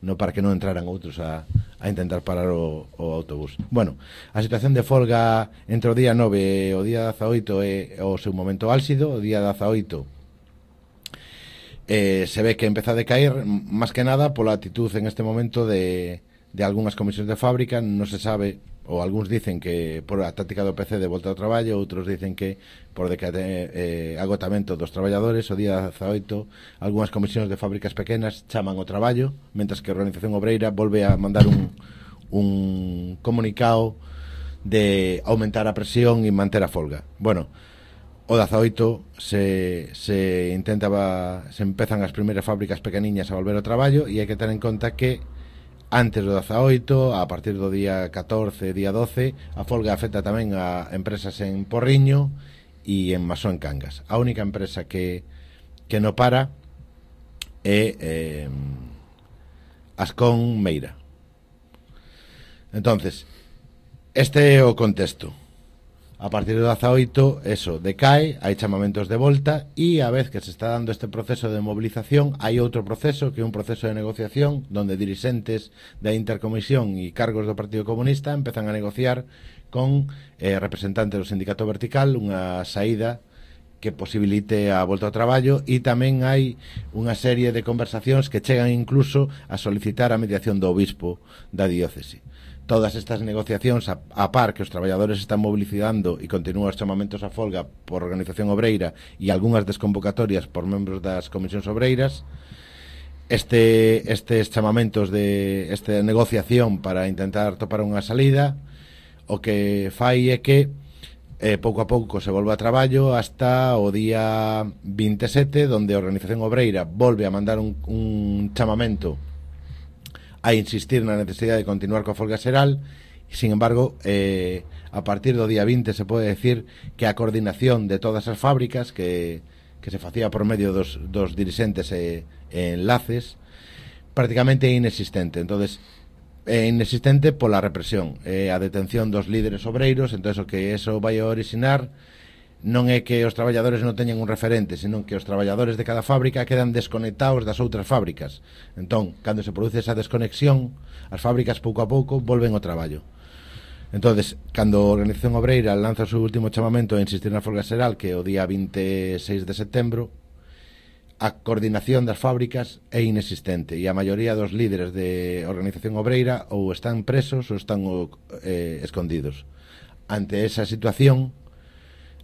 non para que non entraran outros a, a intentar parar o, o autobús. Bueno, a situación de folga entre o día nove e o día dezaoito é o seu momento álxido. O día dezaoito eh, se ve que empeza a decaer, máis que nada pola actitud en este momento de, de algunhas comisións de fábrica. Non se sabe, ou algúns dicen que por a táctica do P C de volta ao traballo, outros dicen que por decate, eh, agotamento dos traballadores. O día dezaoito algunhas comisións de fábricas pequenas chaman o traballo, mentras que a Organización Obreira volve a mandar un, un comunicado de aumentar a presión e manter a folga. Bueno, o dezaoito se, se intentaba, se empezan as primeiras fábricas pequeniñas a volver ao traballo, e hai que ter en conta que antes do dezaoito, a partir do día catorce, día doce, a folga afecta tamén a empresas en Porriño e en Masó en Cangas. A única empresa que, que no para é eh, Ascón Meira. Entonces, este é o contexto. A partir do dezaoito, eso, decae, hai chamamentos de volta, e a vez que se está dando este proceso de movilización, hai outro proceso, que é un proceso de negociación, donde dirixentes da Intercomisión e cargos do Partido Comunista empezan a negociar con eh, representantes do Sindicato Vertical unha saída que posibilite a volta ao traballo, e tamén hai unha serie de conversacións que chegan incluso a solicitar a mediación do obispo da diócese. Todas estas negociacións a, a par que os traballadores están mobilizando e continúan os chamamentos a folga por organización obreira e algunhas desconvocatorias por membros das comisións obreiras, este, estes chamamentos de esta negociación para intentar topar unha salida, o que fai é que eh, pouco a pouco se volve a traballo hasta o día vinte e sete, donde a organización obreira volve a mandar un, un chamamento a insistir na necesidade de continuar coa folga xeral. Sin embargo, eh, a partir do día vinte se pode decir que a coordinación de todas as fábricas que, que se facía por medio dos, dos dirixentes e, e enlaces prácticamente é inexistente. Entonces, é inexistente pola represión, é a detención dos líderes obreiros. Entonces, o que eso vai a orixinar non é que os traballadores non teñan un referente, senón que os traballadores de cada fábrica quedan desconectados das outras fábricas. Entón, cando se produce esa desconexión, as fábricas pouco a pouco volven ao traballo. Entonces, cando a Organización Obreira lanza o seu último chamamento a insistir na folga xeral, que é o día vinte e seis de setembro, a coordinación das fábricas é inexistente, e a maioría dos líderes de Organización Obreira ou están presos ou están eh, escondidos. Ante esa situación,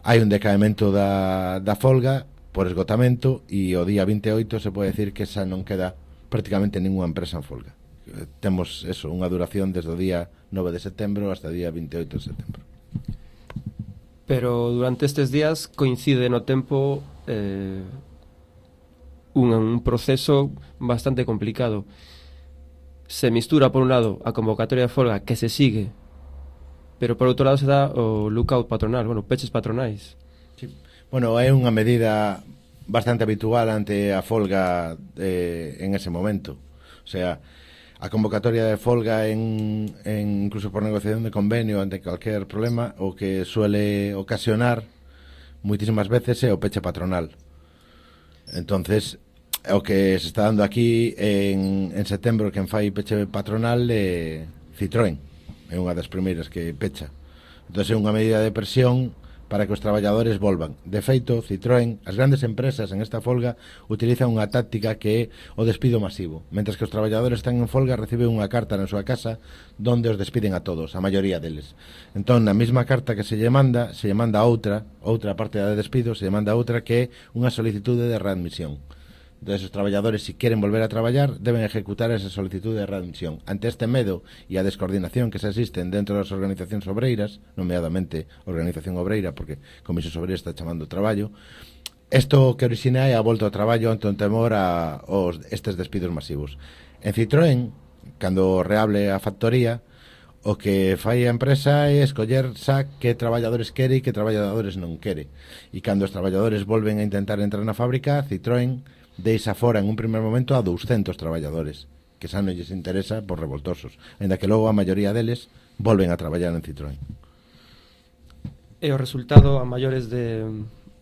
hai un decaemento da, da folga por esgotamento, e o día vinte e oito se pode decir que xa non queda prácticamente ninguna empresa en folga. Temos eso, unha duración desde o día nove de setembro hasta o día vinte e oito de setembro. Pero durante estes días coincide no tempo eh, un, un proceso bastante complicado. Se mistura, por un lado, a convocatoria de folga que se sigue, pero por outro lado se dá o lookout patronal, bueno, peches patronais. Sí. Bueno, é unha medida bastante habitual ante a folga eh, en ese momento. O sea, a convocatoria de folga en, en incluso por negociación de convenio ante cualquier problema, o que suele ocasionar moitísimas veces é o peche patronal. Entonces, o que se está dando aquí en, en setembro, quen fai peche patronal é Citroën. É unha das primeiras que pecha. Entón é unha medida de presión para que os traballadores volvan. De feito, Citroën, as grandes empresas en esta folga utilizan unha táctica que é o despido masivo. Mentres que os traballadores están en folga, reciben unha carta na súa casa donde os despiden a todos, a maioría deles. Entón, na mesma carta que se lle manda, se lle manda outra, outra parte de despido, se lle manda outra que é unha solicitude de readmisión. Entón, os traballadores, se si queren volver a traballar, deben ejecutar esa solicitud de readmisión. Ante este medo e a descoordinación que se existen dentro das organizacións obreiras, nomeadamente Organización Obreira, porque Comisión Obreira está chamando traballo, isto que orixina é a volta ao traballo ante un temor a os, estes despidos masivos. En Citroën, cando reable a factoría, o que fai a empresa é escoller xa que traballadores quere e que traballadores non quere. E cando os traballadores volven a intentar entrar na fábrica, Citroën deixa fora en un primer momento a douscentos traballadores, que xa non lles interesa por revoltosos, ainda que logo a maioría deles volven a traballar en Citroën. E o resultado a maiores de,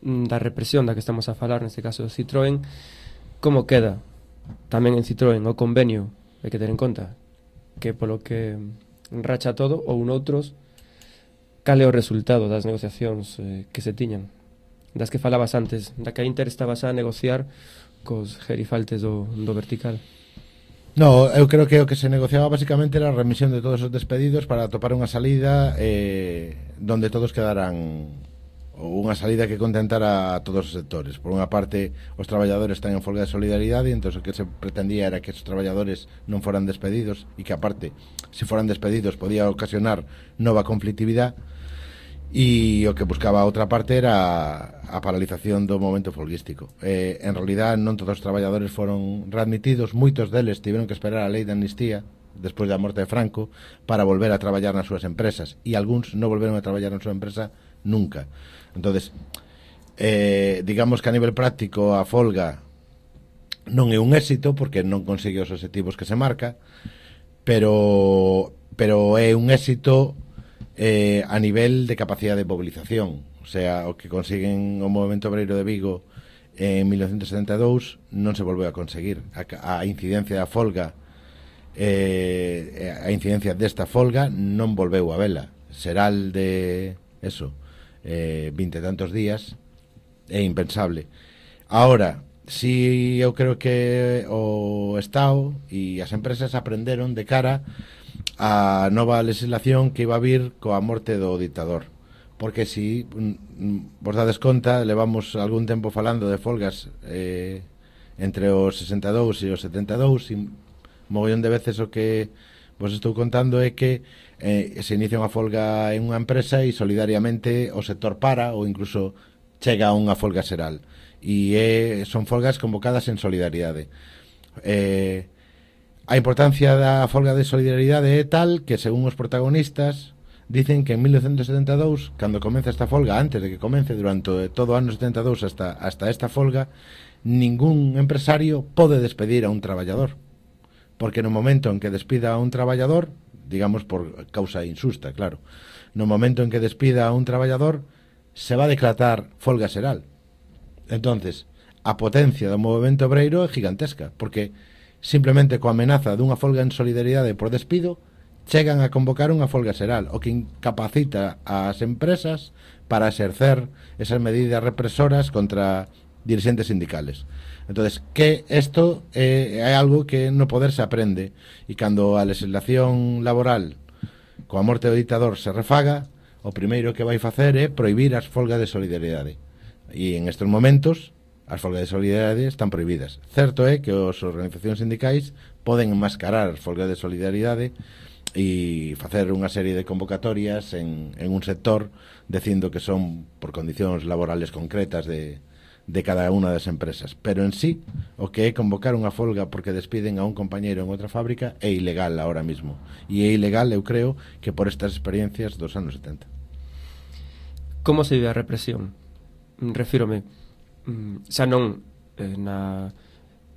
da represión da que estamos a falar, neste caso de Citroën, como queda tamén en Citroën o convenio? Hai que ter en conta que polo que racha todo ou noutros, cal é o resultado das negociacións eh, que se tiñan, das que falabas antes, da que a Inter estaba xa a negociar cos gerifaltes do, do vertical. No, eu creo que o que se negociaba basicamente era a remisión de todos os despedidos para topar unha salida eh, donde todos quedaran, ou unha salida que contentara a todos os sectores. Por unha parte, os traballadores están en folga de solidaridade, e entón o que se pretendía era que os traballadores non foran despedidos, e que aparte, se foran despedidos, podía ocasionar nova conflictividade. E o que buscaba a outra parte era a paralización do momento folguístico. Eh, en realidad non todos os traballadores foron readmitidos, moitos deles tiveron que esperar a lei de amnistía despois da morte de Franco para volver a traballar nas súas empresas, e algúns non volveron a traballar na súa empresa nunca. Entonces, eh, digamos que a nivel práctico a folga non é un éxito porque non consigue os objetivos que se marca, pero, pero é un éxito eh, a nivel de capacidade de mobilización. O sea, o que consiguen o movemento obreiro de Vigo en mil novecentos setenta e dous non se volveu a conseguir. A, a incidencia da folga eh, a incidencia desta folga non volveu a vela. Seral de eso eh, vinte e tantos días é impensable. Ahora, si eu creo que o Estado e as empresas aprenderon de cara a nova legislación que iba a vir coa morte do dictador, porque si vos dades conta, levamos algún tempo falando de folgas eh, entre os sesenta e dous e os setenta e dous, e mogollón de veces o que vos estou contando é que eh, se inicia unha folga en unha empresa e solidariamente o sector para ou incluso chega a unha folga xeral, e eh, son folgas convocadas en solidaridade. eh, A importancia da folga de solidaridade é tal que, según os protagonistas, dicen que en mil novecentos setenta e dous, cando comeza esta folga, antes de que comece durante todo o ano setenta e dous hasta, hasta esta folga, ningún empresario pode despedir a un traballador, porque no momento en que despida a un traballador, digamos por causa injusta, claro, no momento en que despida a un traballador se va a declarar folga xeral. Entonces, a potencia do movemento obreiro é gigantesca, porque simplemente coa amenaza dunha folga en solidaridade por despido chegan a convocar unha folga xeral, o que incapacita ás empresas para exercer esas medidas represoras contra dirigentes sindicales. Entonces, que isto é, é algo que no poder se aprende, e cando a legislación laboral coa morte do dictador se refaga, o primeiro que vai facer é prohibir as folgas de solidaridade, e en estes momentos as folgas de solidaridade están prohibidas. Certo é que as organizacións sindicais poden enmascarar as folgas de solidaridade e facer unha serie de convocatorias en, en un sector dicindo que son por condicións laborales concretas de, de cada unha das empresas. Pero en sí, o que é convocar unha folga porque despiden a un compañeiro en outra fábrica é ilegal ahora mismo. E é ilegal, eu creo, que por estas experiencias dos anos setenta. Como se vive a represión? Refírome xa non eh, na,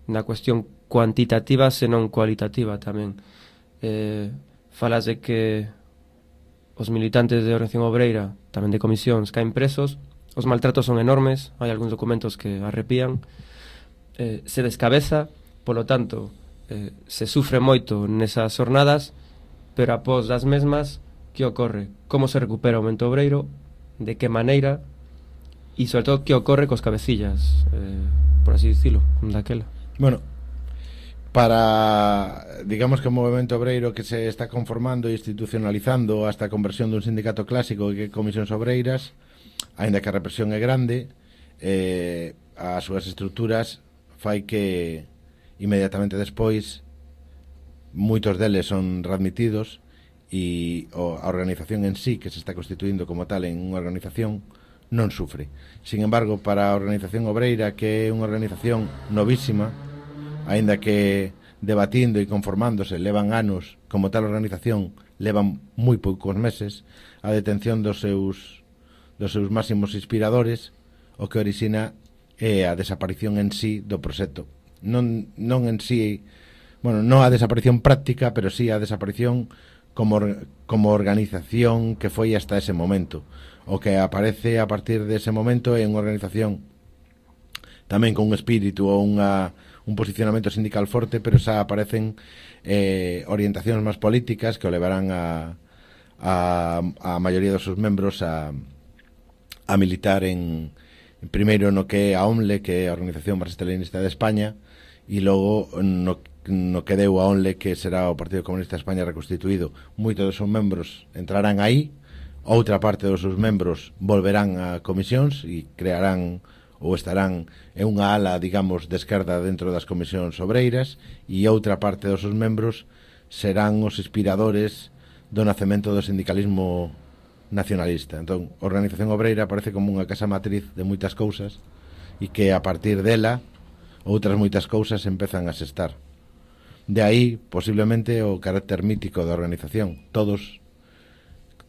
na cuestión cuantitativa, senón cualitativa tamén. Eh, falas de que os militantes de Organización Obreira, tamén de comisións, caen presos, os maltratos son enormes, hai algúns documentos que arrepían, eh, se descabeza, polo tanto, eh, se sufre moito nesas jornadas, pero após das mesmas, que ocorre? Como se recupera o movemento obreiro? De que maneira? E, sobre todo, que ocorre cos cabecillas, eh, por así dicilo, daquela? Bueno, para, digamos que o movemento obreiro que se está conformando e institucionalizando hasta a conversión dun sindicato clásico que é comisións obreiras, aínda que a represión é grande, eh, as súas estruturas fai que inmediatamente despois moitos deles son readmitidos e a organización en sí, que se está constituindo como tal en unha organización, non sufre. Sin embargo, para a Organización Obreira, que é unha organización novísima, aínda que debatindo e conformándose levan anos, como tal organización levan moi poucos meses, a detención dos seus dos seus máximos inspiradores, o que orixina é a desaparición en sí do proxecto. Non, non en sí, bueno, non a desaparición práctica, pero sí a desaparición como, como organización que foi hasta ese momento. O que aparece a partir dese momento é unha organización tamén con un espírito ou unha, un posicionamento sindical forte, pero xa aparecen eh, orientacións máis políticas que o levarán a, a, a maioría dos seus membros a, a militar en, en primeiro no que é a O M L E, que é a Organización Marxista-Leninista de España, e logo no, no que deu a O N L E, que será o Partido Comunista de España reconstituído. Moitos dos seus membros entrarán aí, outra parte dos seus membros volverán a comisións e crearán ou estarán en unha ala, digamos, de esquerda dentro das comisións obreiras, e outra parte dos seus membros serán os inspiradores do nacemento do sindicalismo nacionalista. Entón, a Organización Obreira parece como unha casa matriz de moitas cousas e que a partir dela outras moitas cousas empezan a sestar. De aí, posiblemente, o carácter mítico da organización. Todos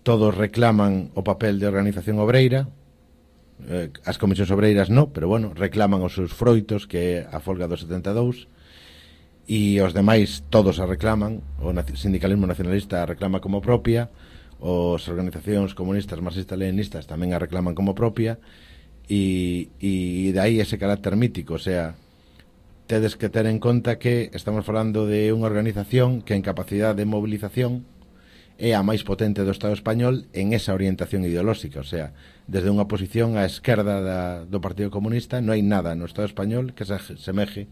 todos reclaman o papel de organización obreira, eh, as comisións obreiras no, pero bueno, reclaman os seus froitos, que é a folga do setenta e dous, e os demais todos a reclaman, o sindicalismo nacionalista a reclama como propia, os organizacións comunistas marxistas-leninistas tamén a reclaman como propia, e, e de aí ese carácter mítico. O sea, tedes que ter en conta que estamos falando de unha organización que en capacidade de movilización é a máis potente do Estado español en esa orientación ideolóxica. O sea, desde unha posición á esquerda da, do Partido Comunista non hai nada no Estado español que se semeje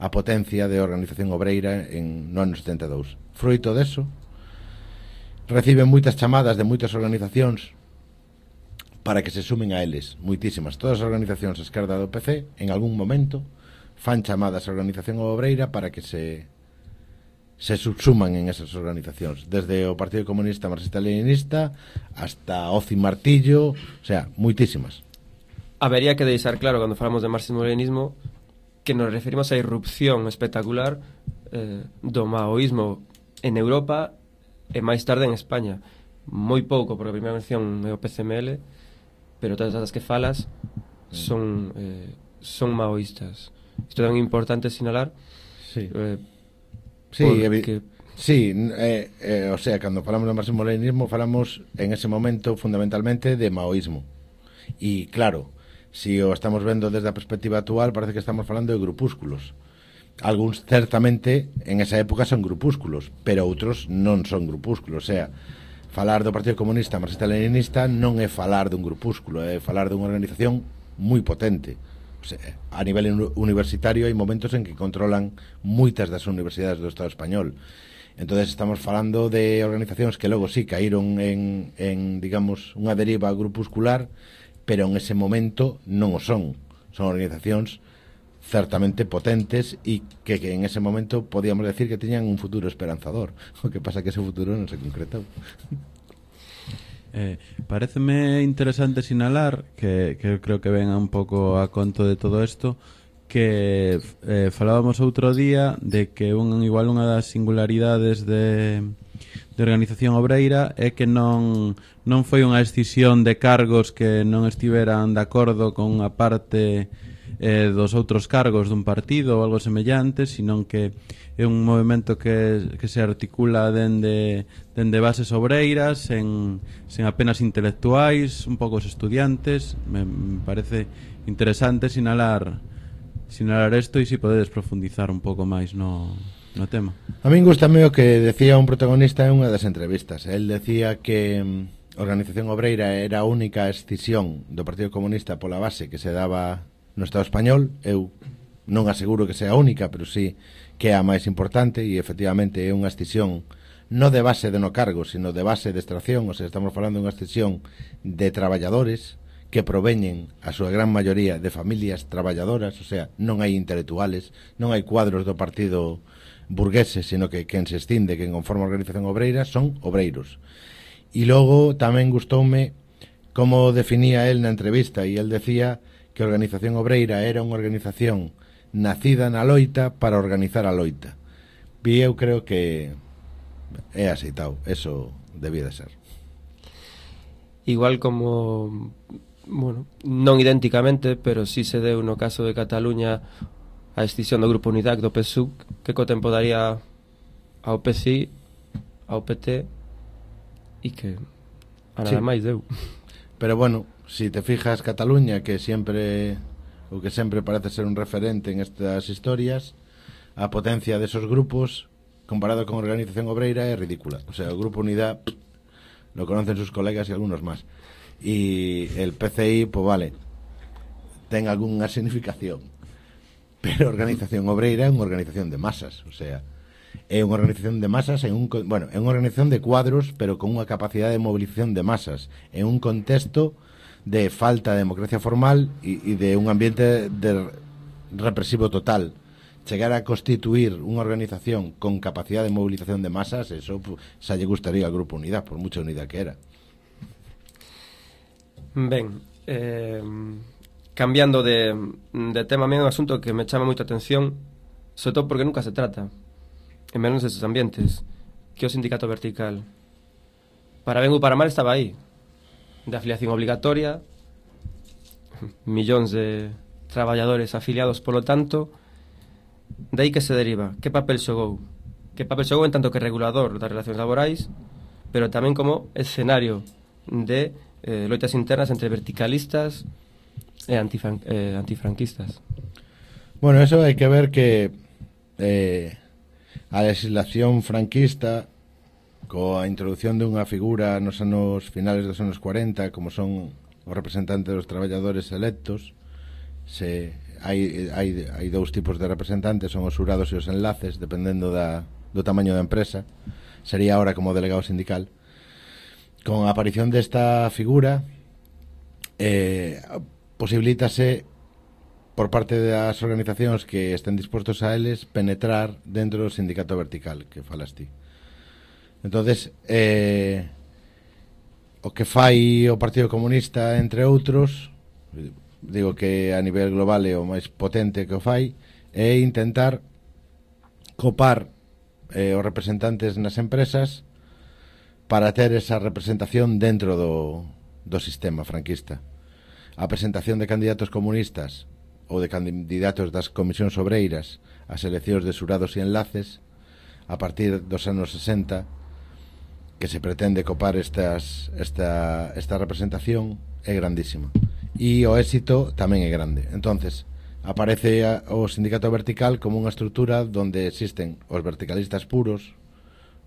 a potencia de organización obreira en no ano setenta e dous. Fruito deso, reciben moitas chamadas de moitas organizacións para que se sumen a eles, moitísimas. Todas as organizacións a esquerda do P C en algún momento fan chamadas a organización obreira para que se se subsuman en esas organizacións, desde o Partido Comunista Marxista-Leninista hasta Oci Martillo, o sea, moitísimas. Habería que deixar claro, cando falamos de marxismo-leninismo, que nos referimos á irrupción espectacular eh, do maoísmo en Europa e máis tarde en España. Moi pouco, porque a primeira mención é o P C M L, pero todas as que falas son eh, son maoístas. Isto é tan importante sinalar. Sí. Eh, Sí, porque... sí eh, eh, o sea, cando falamos de marxismo-leninismo falamos en ese momento fundamentalmente de maoísmo. E claro, si o estamos vendo desde a perspectiva actual, parece que estamos falando de grupúsculos. Alguns certamente en esa época son grupúsculos, pero outros non son grupúsculos. O sea, falar do Partido Comunista Marxista-Leninista non é falar dun grupúsculo, é falar dunha organización moi potente. O sea, a nivel universitario hai momentos en que controlan moitas das universidades do Estado español. Entonces estamos falando de organizacións que logo sí caíron en, en digamos, unha deriva grupuscular, pero en ese momento non o son. Son organizacións certamente potentes e que, que en ese momento podíamos decir que teñan un futuro esperanzador. O que pasa que ese futuro non se concretou. Eh, paréceme interesante sinalar que, que creo que venga un pouco a conto de todo isto, que eh, falábamos outro día de que un, igual unha das singularidades de, de organización obreira é que non, non foi unha escisión de cargos que non estiveran de acordo con unha parte eh, dos outros cargos dun partido ou algo semellante, sino que é un movimento que, que se articula dende, dende bases obreiras, sen, sen apenas intelectuais, un pouco os estudiantes. Me, me parece interesante sinalar sinalar isto, e se si podedes profundizar un pouco máis no, no tema. A min gustame o que decía un protagonista en unha das entrevistas. El decía que a organización obreira era a única escisión do Partido Comunista pola base que se daba no Estado español. Eu non aseguro que sea a única, pero sí que é a máis importante, e efectivamente é unha escisión non de base de no cargo, sino de base de extracción. O sea, estamos falando de unha escisión de traballadores que proveñen a súa gran maioría de familias traballadoras. O sea, non hai intelectuales, non hai cuadros do partido burgueses, sino que quen se extinde, quen conforma a organización obreira son obreiros. E logo tamén gustoume como definía él na entrevista, e él decía que a organización obreira era unha organización nacida na loita para organizar a loita. E eu creo que é aceitado, eso debía de ser. Igual como, bueno, non idénticamente, pero sí se deu no caso de Cataluña a extinción do Grupo Unidac do P S U C, que co tempo daría ao P C I, ao P T, e que a nada sí. máis deu. Pero bueno, si te fijas, Cataluña, que sempre o que sempre parece ser un referente en estas historias, a potencia desos grupos comparado con a organización obreira é ridícula. O sea, o Grupo Unidad lo conocen sus colegas y algunos más, y el P C I, pues vale, ten algunha significación, pero a organización obreira é unha organización de masas. O sea, é unha organización de masas en un, bueno, é unha organización de cuadros, pero con unha capacidade de movilización de masas en un contexto de falta de democracia formal e, e de un ambiente de represivo total. Chegar a constituir unha organización con capacidade de movilización de masas, eso xa lle gustaría al Grupo Unidad, por mucha unidad que era. Ben, eh, cambiando de, de tema, é un asunto que me chama moita atención, sobre todo porque nunca se trata, en menos esos ambientes, que o sindicato vertical. Para ben ou para mal estaba aí, de afiliación obligatoria, millóns de traballadores afiliados, polo tanto, de aí que se deriva. Que papel xogou? Que papel xogou en tanto que regulador das relacións laborais, pero tamén como escenario de eh, loitas internas entre verticalistas e antifran eh, antifranquistas. Bueno, eso hai que ver que eh, a legislación franquista, coa introducción dunha figura nos anos finales dos anos cuarenta, como son os representantes dos traballadores electos, se hai, hai, hai dous tipos de representantes, son os xurados e os enlaces, dependendo da, do tamaño da empresa. Sería ahora como delegado sindical. Con a aparición desta figura eh, posibilítase por parte das organizacións que estén dispostos a eles penetrar dentro do sindicato vertical que falas ti. Entonces eh, o que fai o Partido Comunista, entre outros, digo que a nivel global é o máis potente que o fai, é intentar copar eh, os representantes nas empresas para ter esa representación dentro do, do sistema franquista. A presentación de candidatos comunistas ou de candidatos das comisións obreiras ás eleccións de xurados e enlaces a partir dos anos sesenta, que se pretende copar estas, esta, esta representación, é grandísima e o éxito tamén é grande. Entonces aparece a, o sindicato vertical como unha estrutura onde existen os verticalistas puros,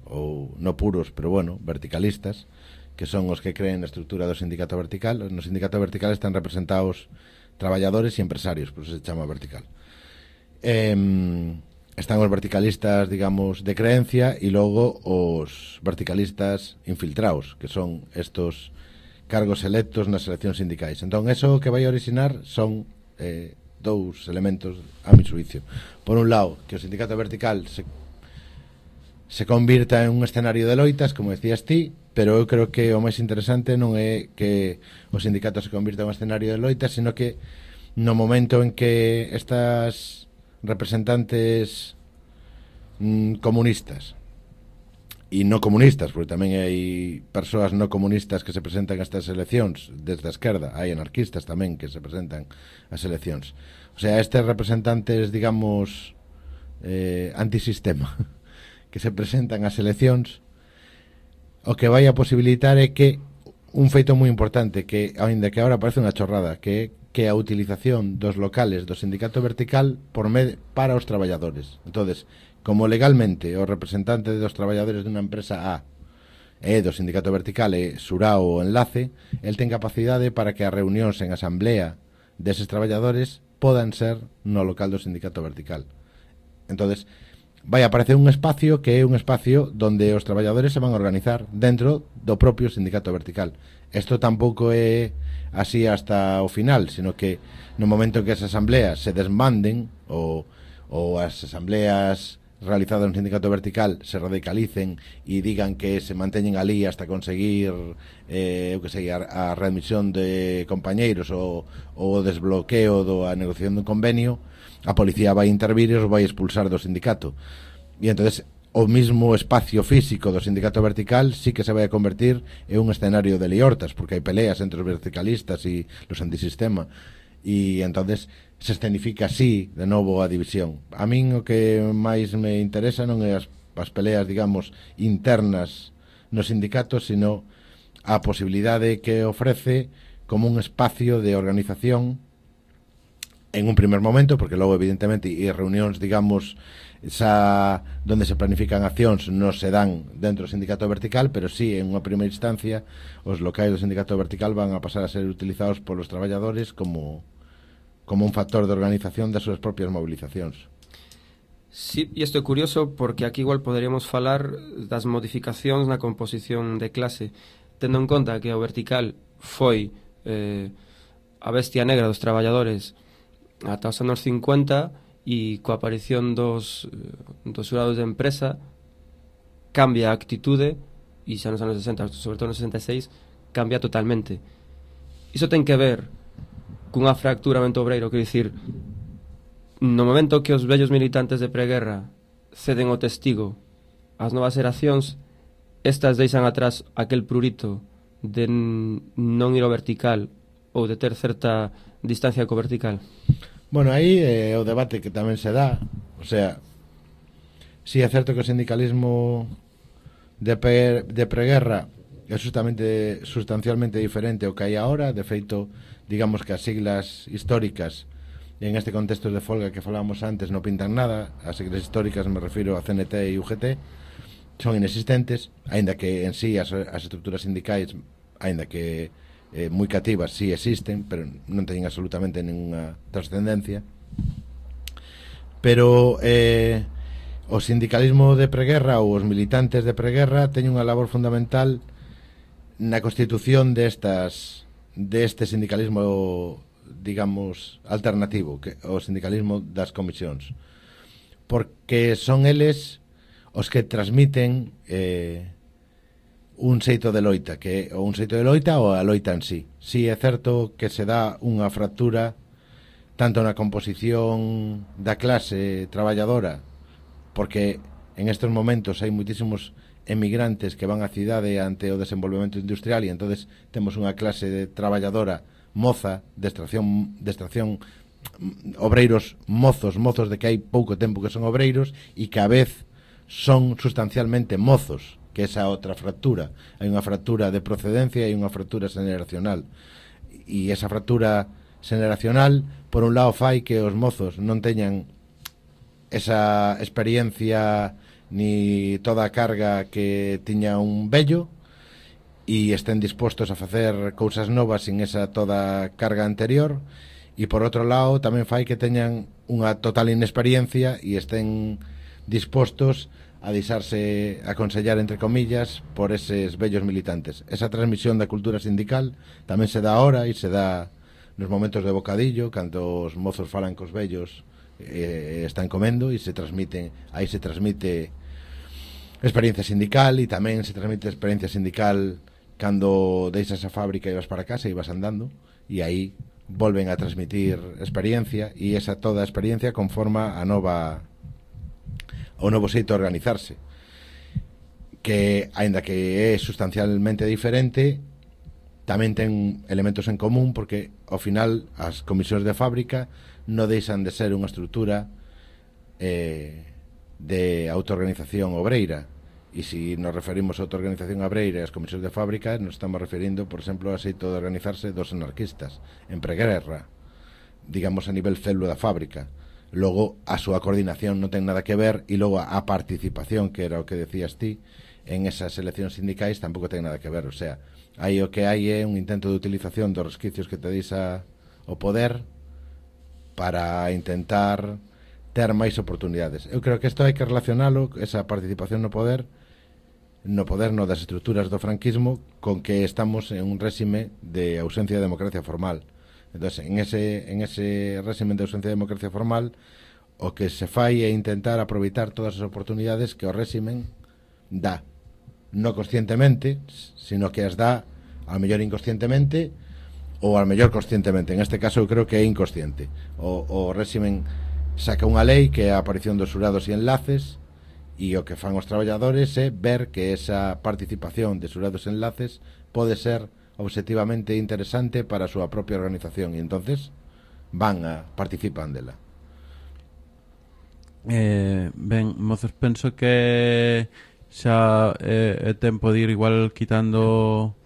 ou no puros, pero bueno, verticalistas, que son os que creen a estrutura do sindicato vertical. No sindicato vertical están representados traballadores e empresarios, por eso se chama vertical. Eh, están os verticalistas, digamos, de creencia, e logo os verticalistas infiltrados, que son estos cargos electos nas eleccións sindicais. Entón, eso que vai a orixinar son eh, dous elementos a mi xuicio. Por un lado, que o sindicato vertical se, se convirta en un escenario de loitas, como decías ti, pero eu creo que o máis interesante non é que o sindicato se convirta en un escenario de loitas, sino que no momento en que estas representantes mm, comunistas e no comunistas, porque tamén hai persoas no comunistas que se presentan a estas eleccións desde a esquerda, hai anarquistas tamén que se presentan ás eleccións, o sea, estes representantes, digamos, eh, antisistema que se presentan ás eleccións, o que vai a posibilitar é que un feito moi importante, que aínda que agora parece unha chorrada, que que a utilización dos locales do sindicato vertical por med para os traballadores. Entonces, como legalmente o representante dos traballadores dunha empresa A e do sindicato vertical é xurao ou enlace, el ten capacidade para que as reunións en asamblea deses traballadores podan ser no local do sindicato vertical. Entonces, vai a aparecer un espacio que é un espacio donde os traballadores se van a organizar dentro do propio sindicato vertical. Isto tampouco é así hasta o final, sino que no momento en que as asambleas se desmanden ou, ou as asambleas realizadas no sindicato vertical se radicalicen e digan que se manteñen ali hasta conseguir eh, eu que sei, a, a readmisión de compañeiros ou o desbloqueo da negociación dun convenio, a policía vai intervir e os vai expulsar do sindicato. E entonces o mismo espacio físico do sindicato vertical sí que se vai a convertir en un escenario de liortas, porque hai peleas entre os verticalistas e os antisistema, e entonces se escenifica así de novo a división. A min o que máis me interesa non é as, as peleas, digamos, internas no sindicato, sino a posibilidade que ofrece como un espacio de organización en un primer momento, porque logo evidentemente e reunións, digamos, esa, donde se planifican accións non se dan dentro do sindicato vertical, pero sí, en unha primeira instancia os locais do sindicato vertical van a pasar a ser utilizados polos traballadores como, como un factor de organización das súas propias movilizacións. Sí, e isto é curioso porque aquí igual poderíamos falar das modificacións na composición de clase, tendo en conta que o vertical foi eh, a bestia negra dos traballadores ata os anos cincuenta, e coa aparición dos, dos xurados de empresa cambia a actitude, e xa nos anos sesenta, sobre todo nos sesenta e seis, cambia totalmente. Iso ten que ver cunha fractura mente obreiro, quero dicir, no momento que os vellos militantes de preguerra ceden o testigo ás novas xeracións, estas deixan atrás aquel prurito de non ir ao vertical ou de ter certa distancia co vertical. Bueno, aí é eh, o debate que tamén se dá. O sea, si é certo que o sindicalismo de, pre, de preguerra é justamente sustancialmente diferente ao que hai agora. De feito, digamos que as siglas históricas en este contexto de folga que falábamos antes non pintan nada. As siglas históricas, me refiro a C N T e U G T, son inexistentes, aínda que en sí as, as estructuras sindicais, aínda que eh, moi cativas, sí existen, pero non teñen absolutamente ninguna trascendencia. Pero eh, o sindicalismo de preguerra ou os militantes de preguerra teñen unha labor fundamental na constitución destas deste sindicalismo, digamos, alternativo, que o sindicalismo das comisións, porque son eles os que transmiten eh, un xeito de loita, que ou un xeito de loita ou a loita en sí. Si é certo que se dá unha fractura tanto na composición da clase traballadora, porque en estes momentos hai moitísimos emigrantes que van á cidade ante o desenvolvemento industrial, e entonces temos unha clase de traballadora moza, de extracción, de extracción obreiros mozos, mozos de que hai pouco tempo que son obreiros e que a vez son sustancialmente mozos, que esa outra fractura. Hai unha fractura de procedencia e unha fractura generacional, e esa fractura generacional por un lado fai que os mozos non teñan esa experiencia ni toda a carga que tiña un vello, e estén dispostos a facer cousas novas sin esa toda carga anterior, e por outro lado tamén fai que teñan unha total inexperiencia e estén dispostos a deixarse aconsellar, entre comillas, por eses vellos militantes. Esa transmisión da cultura sindical tamén se dá ahora e se dá nos momentos de bocadillo, cando os mozos falan cos vellos, eh, están comendo, e se transmiten, aí se transmite experiencia sindical, e tamén se transmite experiencia sindical cando deixas a fábrica e vas para casa e vas andando, e aí volven a transmitir experiencia, e esa toda a experiencia conforma a nova o novo xeito de organizarse, que, aínda que é sustancialmente diferente, tamén ten elementos en común, porque ao final as comisións de fábrica non deixan de ser unha estrutura eh, de autoorganización obreira, e se nos referimos a autoorganización obreira e as comisións de fábrica, nos estamos referindo, por exemplo, ao xeito de organizarse dos anarquistas en preguerra, digamos a nivel célula da fábrica. Logo a súa coordinación non ten nada que ver, e logo a participación, que era o que decías ti, en esas eleccións sindicais tampouco ten nada que ver. O sea, aí o que hai é un intento de utilización dos resquicios que te deixa o poder para intentar ter máis oportunidades. Eu creo que isto hai que relacionalo, esa participación no poder, no poder no das estruturas do franquismo, con que estamos en un réxime de ausencia de democracia formal. Entonces, en ese, en ese réxime de ausencia de democracia formal, o que se fai é intentar aproveitar todas as oportunidades que o réximen dá, non conscientemente, sino que as dá ao mellor inconscientemente ou ao mellor conscientemente. En este caso eu creo que é inconsciente. O, o réximen saca unha lei que é a aparición dos xurados e enlaces, e o que fan os traballadores é ver que esa participación de xurados e enlaces pode ser objetivamente interesante para a súa propia organización, e entonces van a participan dela. Eh, ben, mozos, penso que xa é, é tempo de ir igual quitando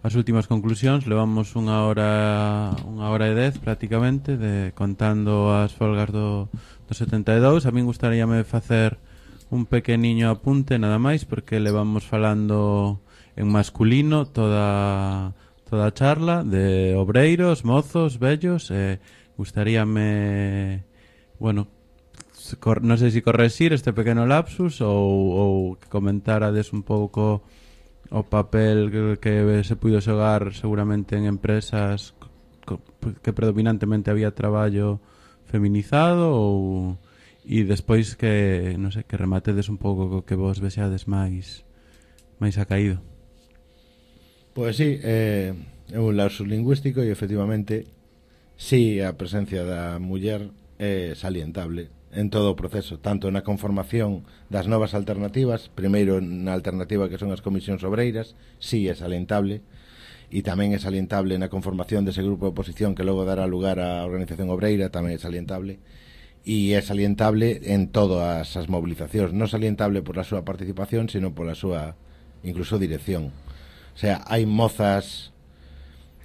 as últimas conclusións. Levamos unha hora unha hora e dez prácticamente de contando as folgas do, do setenta e dous. A min gustaríame facer un pequeniño apunte nada máis, porque levamos falando en masculino toda toda a charla de obreiros, mozos, vellos. eh, gustaríame, bueno, cor, non sei se correxir este pequeno lapsus ou, ou que comentarades un pouco o papel que, que se puido xogar seguramente en empresas que predominantemente había traballo feminizado, ou e despois que, non sei, que rematedes un pouco co que vos vexades máis máis acaído. Pois sí, é eh, un lapsus lingüístico, e efectivamente sí, a presencia da muller é salientable en todo o proceso, tanto na conformación das novas alternativas, primeiro na alternativa que son as comisións obreiras, sí é salientable, e tamén é salientable na conformación dese grupo de oposición que logo dará lugar á organización obreira, tamén é salientable, e é salientable en todas as movilizacións, non salientable por a súa participación, sino pola súa incluso dirección. O sea, hai mozas,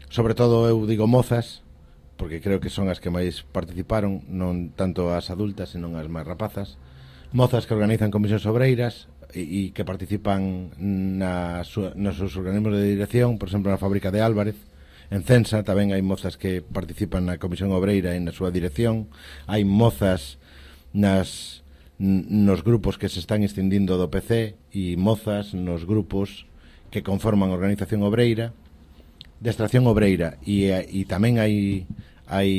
sobre todo eu digo mozas, porque creo que son as que máis participaron, non tanto as adultas, senón as máis rapazas, mozas que organizan comisións obreiras e, e que participan na, nos seus organismos de dirección, por exemplo, na fábrica de Álvarez. En Censa tamén hai mozas que participan na comisión obreira e na súa dirección. Hai mozas nas nos grupos que se están escindindo do P C e mozas nos grupos que conforman a organización obreira, de extracción obreira, e, e tamén hai hai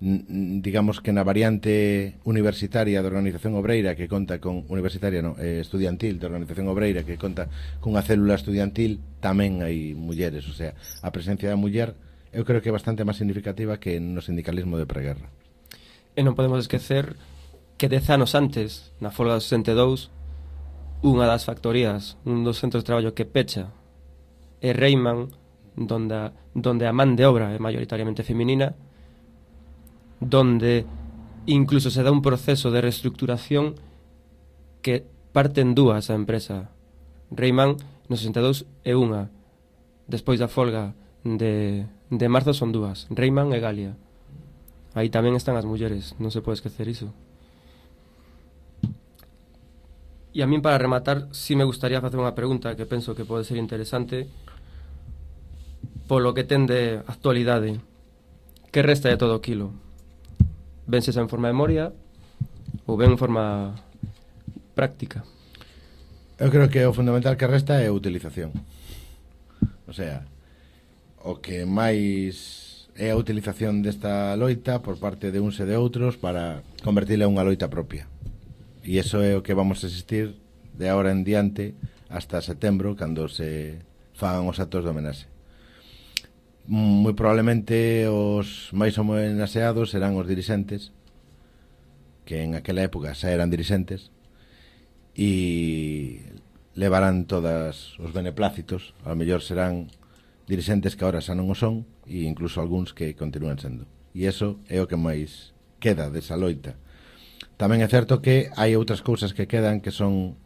digamos que na variante universitaria da organización obreira que conta con universitaria no, eh, estudiantil da organización obreira que conta cunha célula estudiantil, tamén hai mulleres, o sea, a presencia da muller eu creo que é bastante máis significativa que no sindicalismo de preguerra. E non podemos esquecer que dez anos antes, na folga dos sesenta e dous, unha das factorías, un dos centros de traballo que pecha é Reiman, donde, donde a man de obra é maioritariamente feminina, donde incluso se dá un proceso de reestructuración que parte en dúas a empresa. Reiman no sesenta e dous é unha, despois da folga de, de marzo son dúas, Reiman e Galia. Aí tamén están as mulleres, non se pode esquecer iso. E a min, para rematar, sí me gustaría facer unha pregunta que penso que pode ser interesante polo que ten de actualidade. Que resta de todo aquilo? Vense en forma de memoria ou ben en forma práctica? Eu creo que o fundamental que resta é a utilización. O sea, o que máis é a utilización desta loita por parte de uns e de outros para convertila en unha loita propia. E iso é o que vamos a asistir de agora en diante hasta setembro, cando se fagan os actos de homenaxe. Moi probablemente os máis homenaxeados serán os dirixentes, que en aquela época xa eran dirixentes, e levarán todas os beneplácitos. A mellor serán dirixentes que agora xa non o son, e incluso algúns que continúan sendo. E iso é o que máis queda desa loita. Tamén é certo que hai outras cousas que quedan que son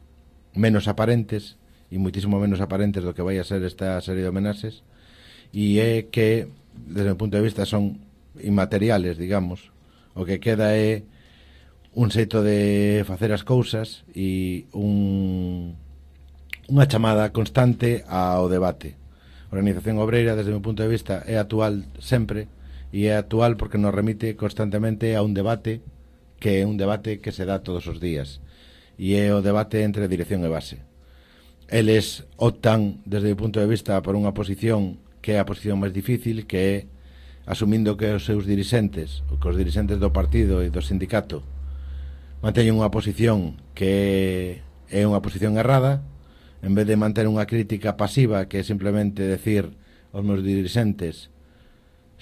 menos aparentes e muitísimo menos aparentes do que vai a ser esta serie de homenaxes, e é que, desde o punto de vista, son inmateriales, digamos. O que queda é un xeito de facer as cousas e un, unha chamada constante ao debate. A organización obreira, desde o meu punto de vista, é actual sempre, e é actual porque nos remite constantemente a un debate que é un debate que se dá todos os días, e é o debate entre dirección e base. Eles optan, desde o punto de vista, por unha posición que é a posición máis difícil, que é asumindo que os seus dirixentes, ou que os dirixentes do partido e do sindicato manteñen unha posición que é unha posición errada, en vez de manter unha crítica pasiva que é simplemente decir os meus dirixentes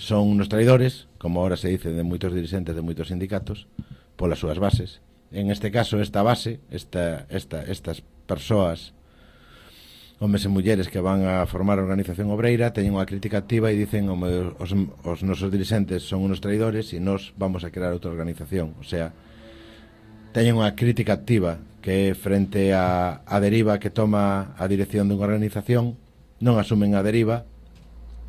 son unos traidores, como ahora se dice de moitos dirixentes de moitos sindicatos, polas súas bases. En este caso, esta base, esta, esta, estas persoas, homes e mulleres que van a formar a organización obreira, teñen unha crítica activa e dicen os, os nosos dirixentes son unos traidores e nós vamos a crear outra organización. O sea, teñen unha crítica activa que frente a, a deriva que toma a dirección dunha organización, non asumen a deriva,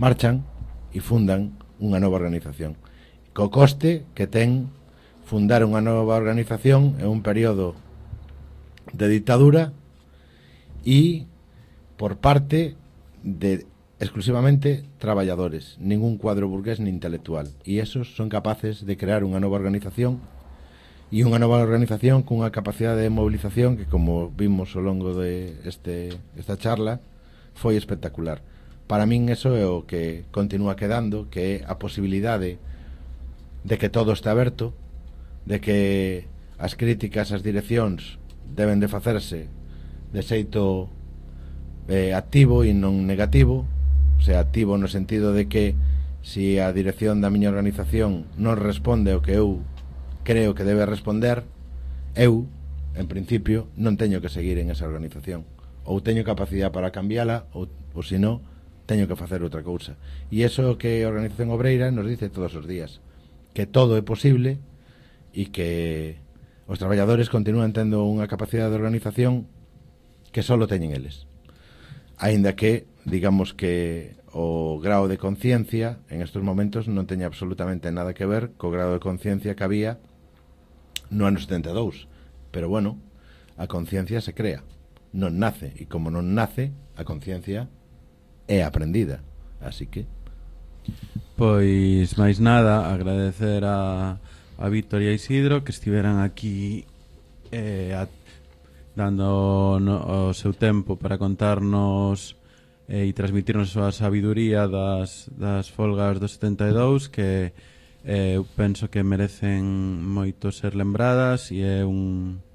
marchan e fundan unha nova organización. Co coste que ten fundar unha nova organización en un período de dictadura e por parte de exclusivamente traballadores, ningún cuadro burgués ni intelectual, e esos son capaces de crear unha nova organización, e unha nova organización cunha capacidade de movilización que, como vimos ao longo de este, esta charla, foi espectacular. Para min eso é o que continúa quedando, que é a posibilidade de que todo está aberto, de que as críticas ás direccións deben de facerse de xeito eh, activo e non negativo, o sea, activo no sentido de que se a dirección da miña organización non responde o que eu creo que debe responder, eu, en principio, non teño que seguir en esa organización, ou teño capacidade para cambiala, ou, ou se non, teño que facer outra cousa. E iso é o que a organización obreira nos dice todos os días, que todo é posible e que os traballadores continúan tendo unha capacidade de organización que só teñen eles. aínda que, digamos que o grao de conciencia en estos momentos non teña absolutamente nada que ver co grao de conciencia que había no ano setenta e dous. Pero bueno, a conciencia se crea, non nace, e como non nace, a conciencia é aprendida. Así que pois máis nada, agradecer a, a Víctor e a Isidro que estiveran aquí eh, a, dando no, o seu tempo para contarnos e transmitirnos a súa sabiduría das, das folgas do setenta e dous, que eh, eu penso que merecen moito ser lembradas, e é un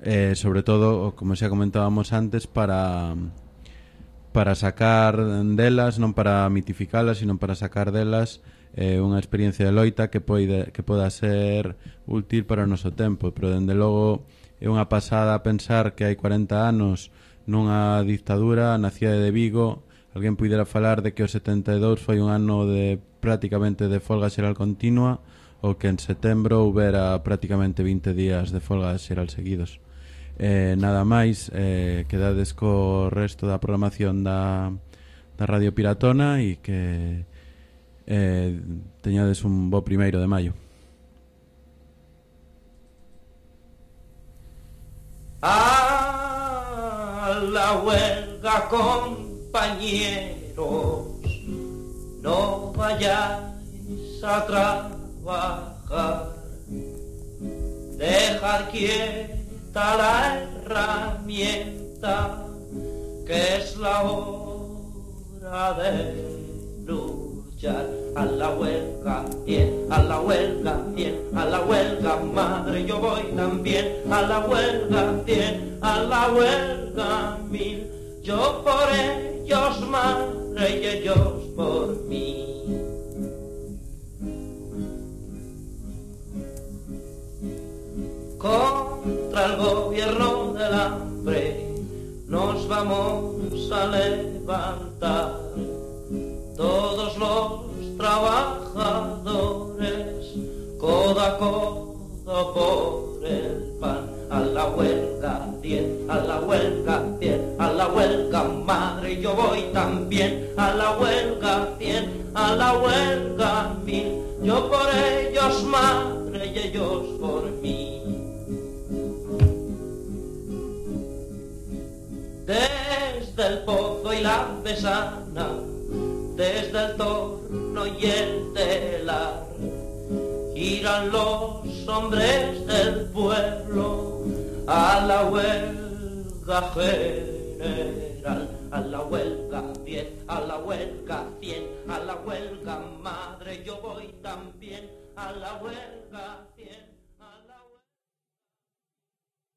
eh, sobre todo, como xa comentábamos antes, para para sacar delas, non para mitificalas, sino para sacar delas eh, unha experiencia de loita que poida, que poda ser útil para o noso tempo. Pero dende logo é unha pasada pensar que hai cuarenta anos nunha dictadura na cidade de Vigo alguén puidera falar de que o setenta e dous foi un ano de prácticamente de folga xeral continua, ou que en setembro houbera prácticamente vinte días de folga xeral seguidos. Eh, nada máis, eh, quedades co resto da programación da, da Radio Piratona e que eh, teñades un bo primeiro de maio. A la huelga, compañeros, no vayáis a trabajar, dejar quieta la herramienta, que es la hora de luchar. A la huelga, bien, a la huelga, bien, a la huelga, madre, yo voy también. A la huelga, bien, a la huelga, mil. Yo por ellos, madre, y ellos por mí. Contra el gobierno del hambre nos vamos a levantar, todos los trabajadores, codo a codo por el pan. A la huelga, bien, a la huelga, bien, a la huelga, madre, yo voy también. A la huelga, bien, a la huelga, mil. Yo por ellos, madre, y ellos por mí. Desde el Pozo y la Besana, desde el Torno y el Telar, giran los hombres del pueblo a la huelga general. A la huelga, bien, a la huelga, bien, a la huelga, madre, yo voy también. A la huelga, bien.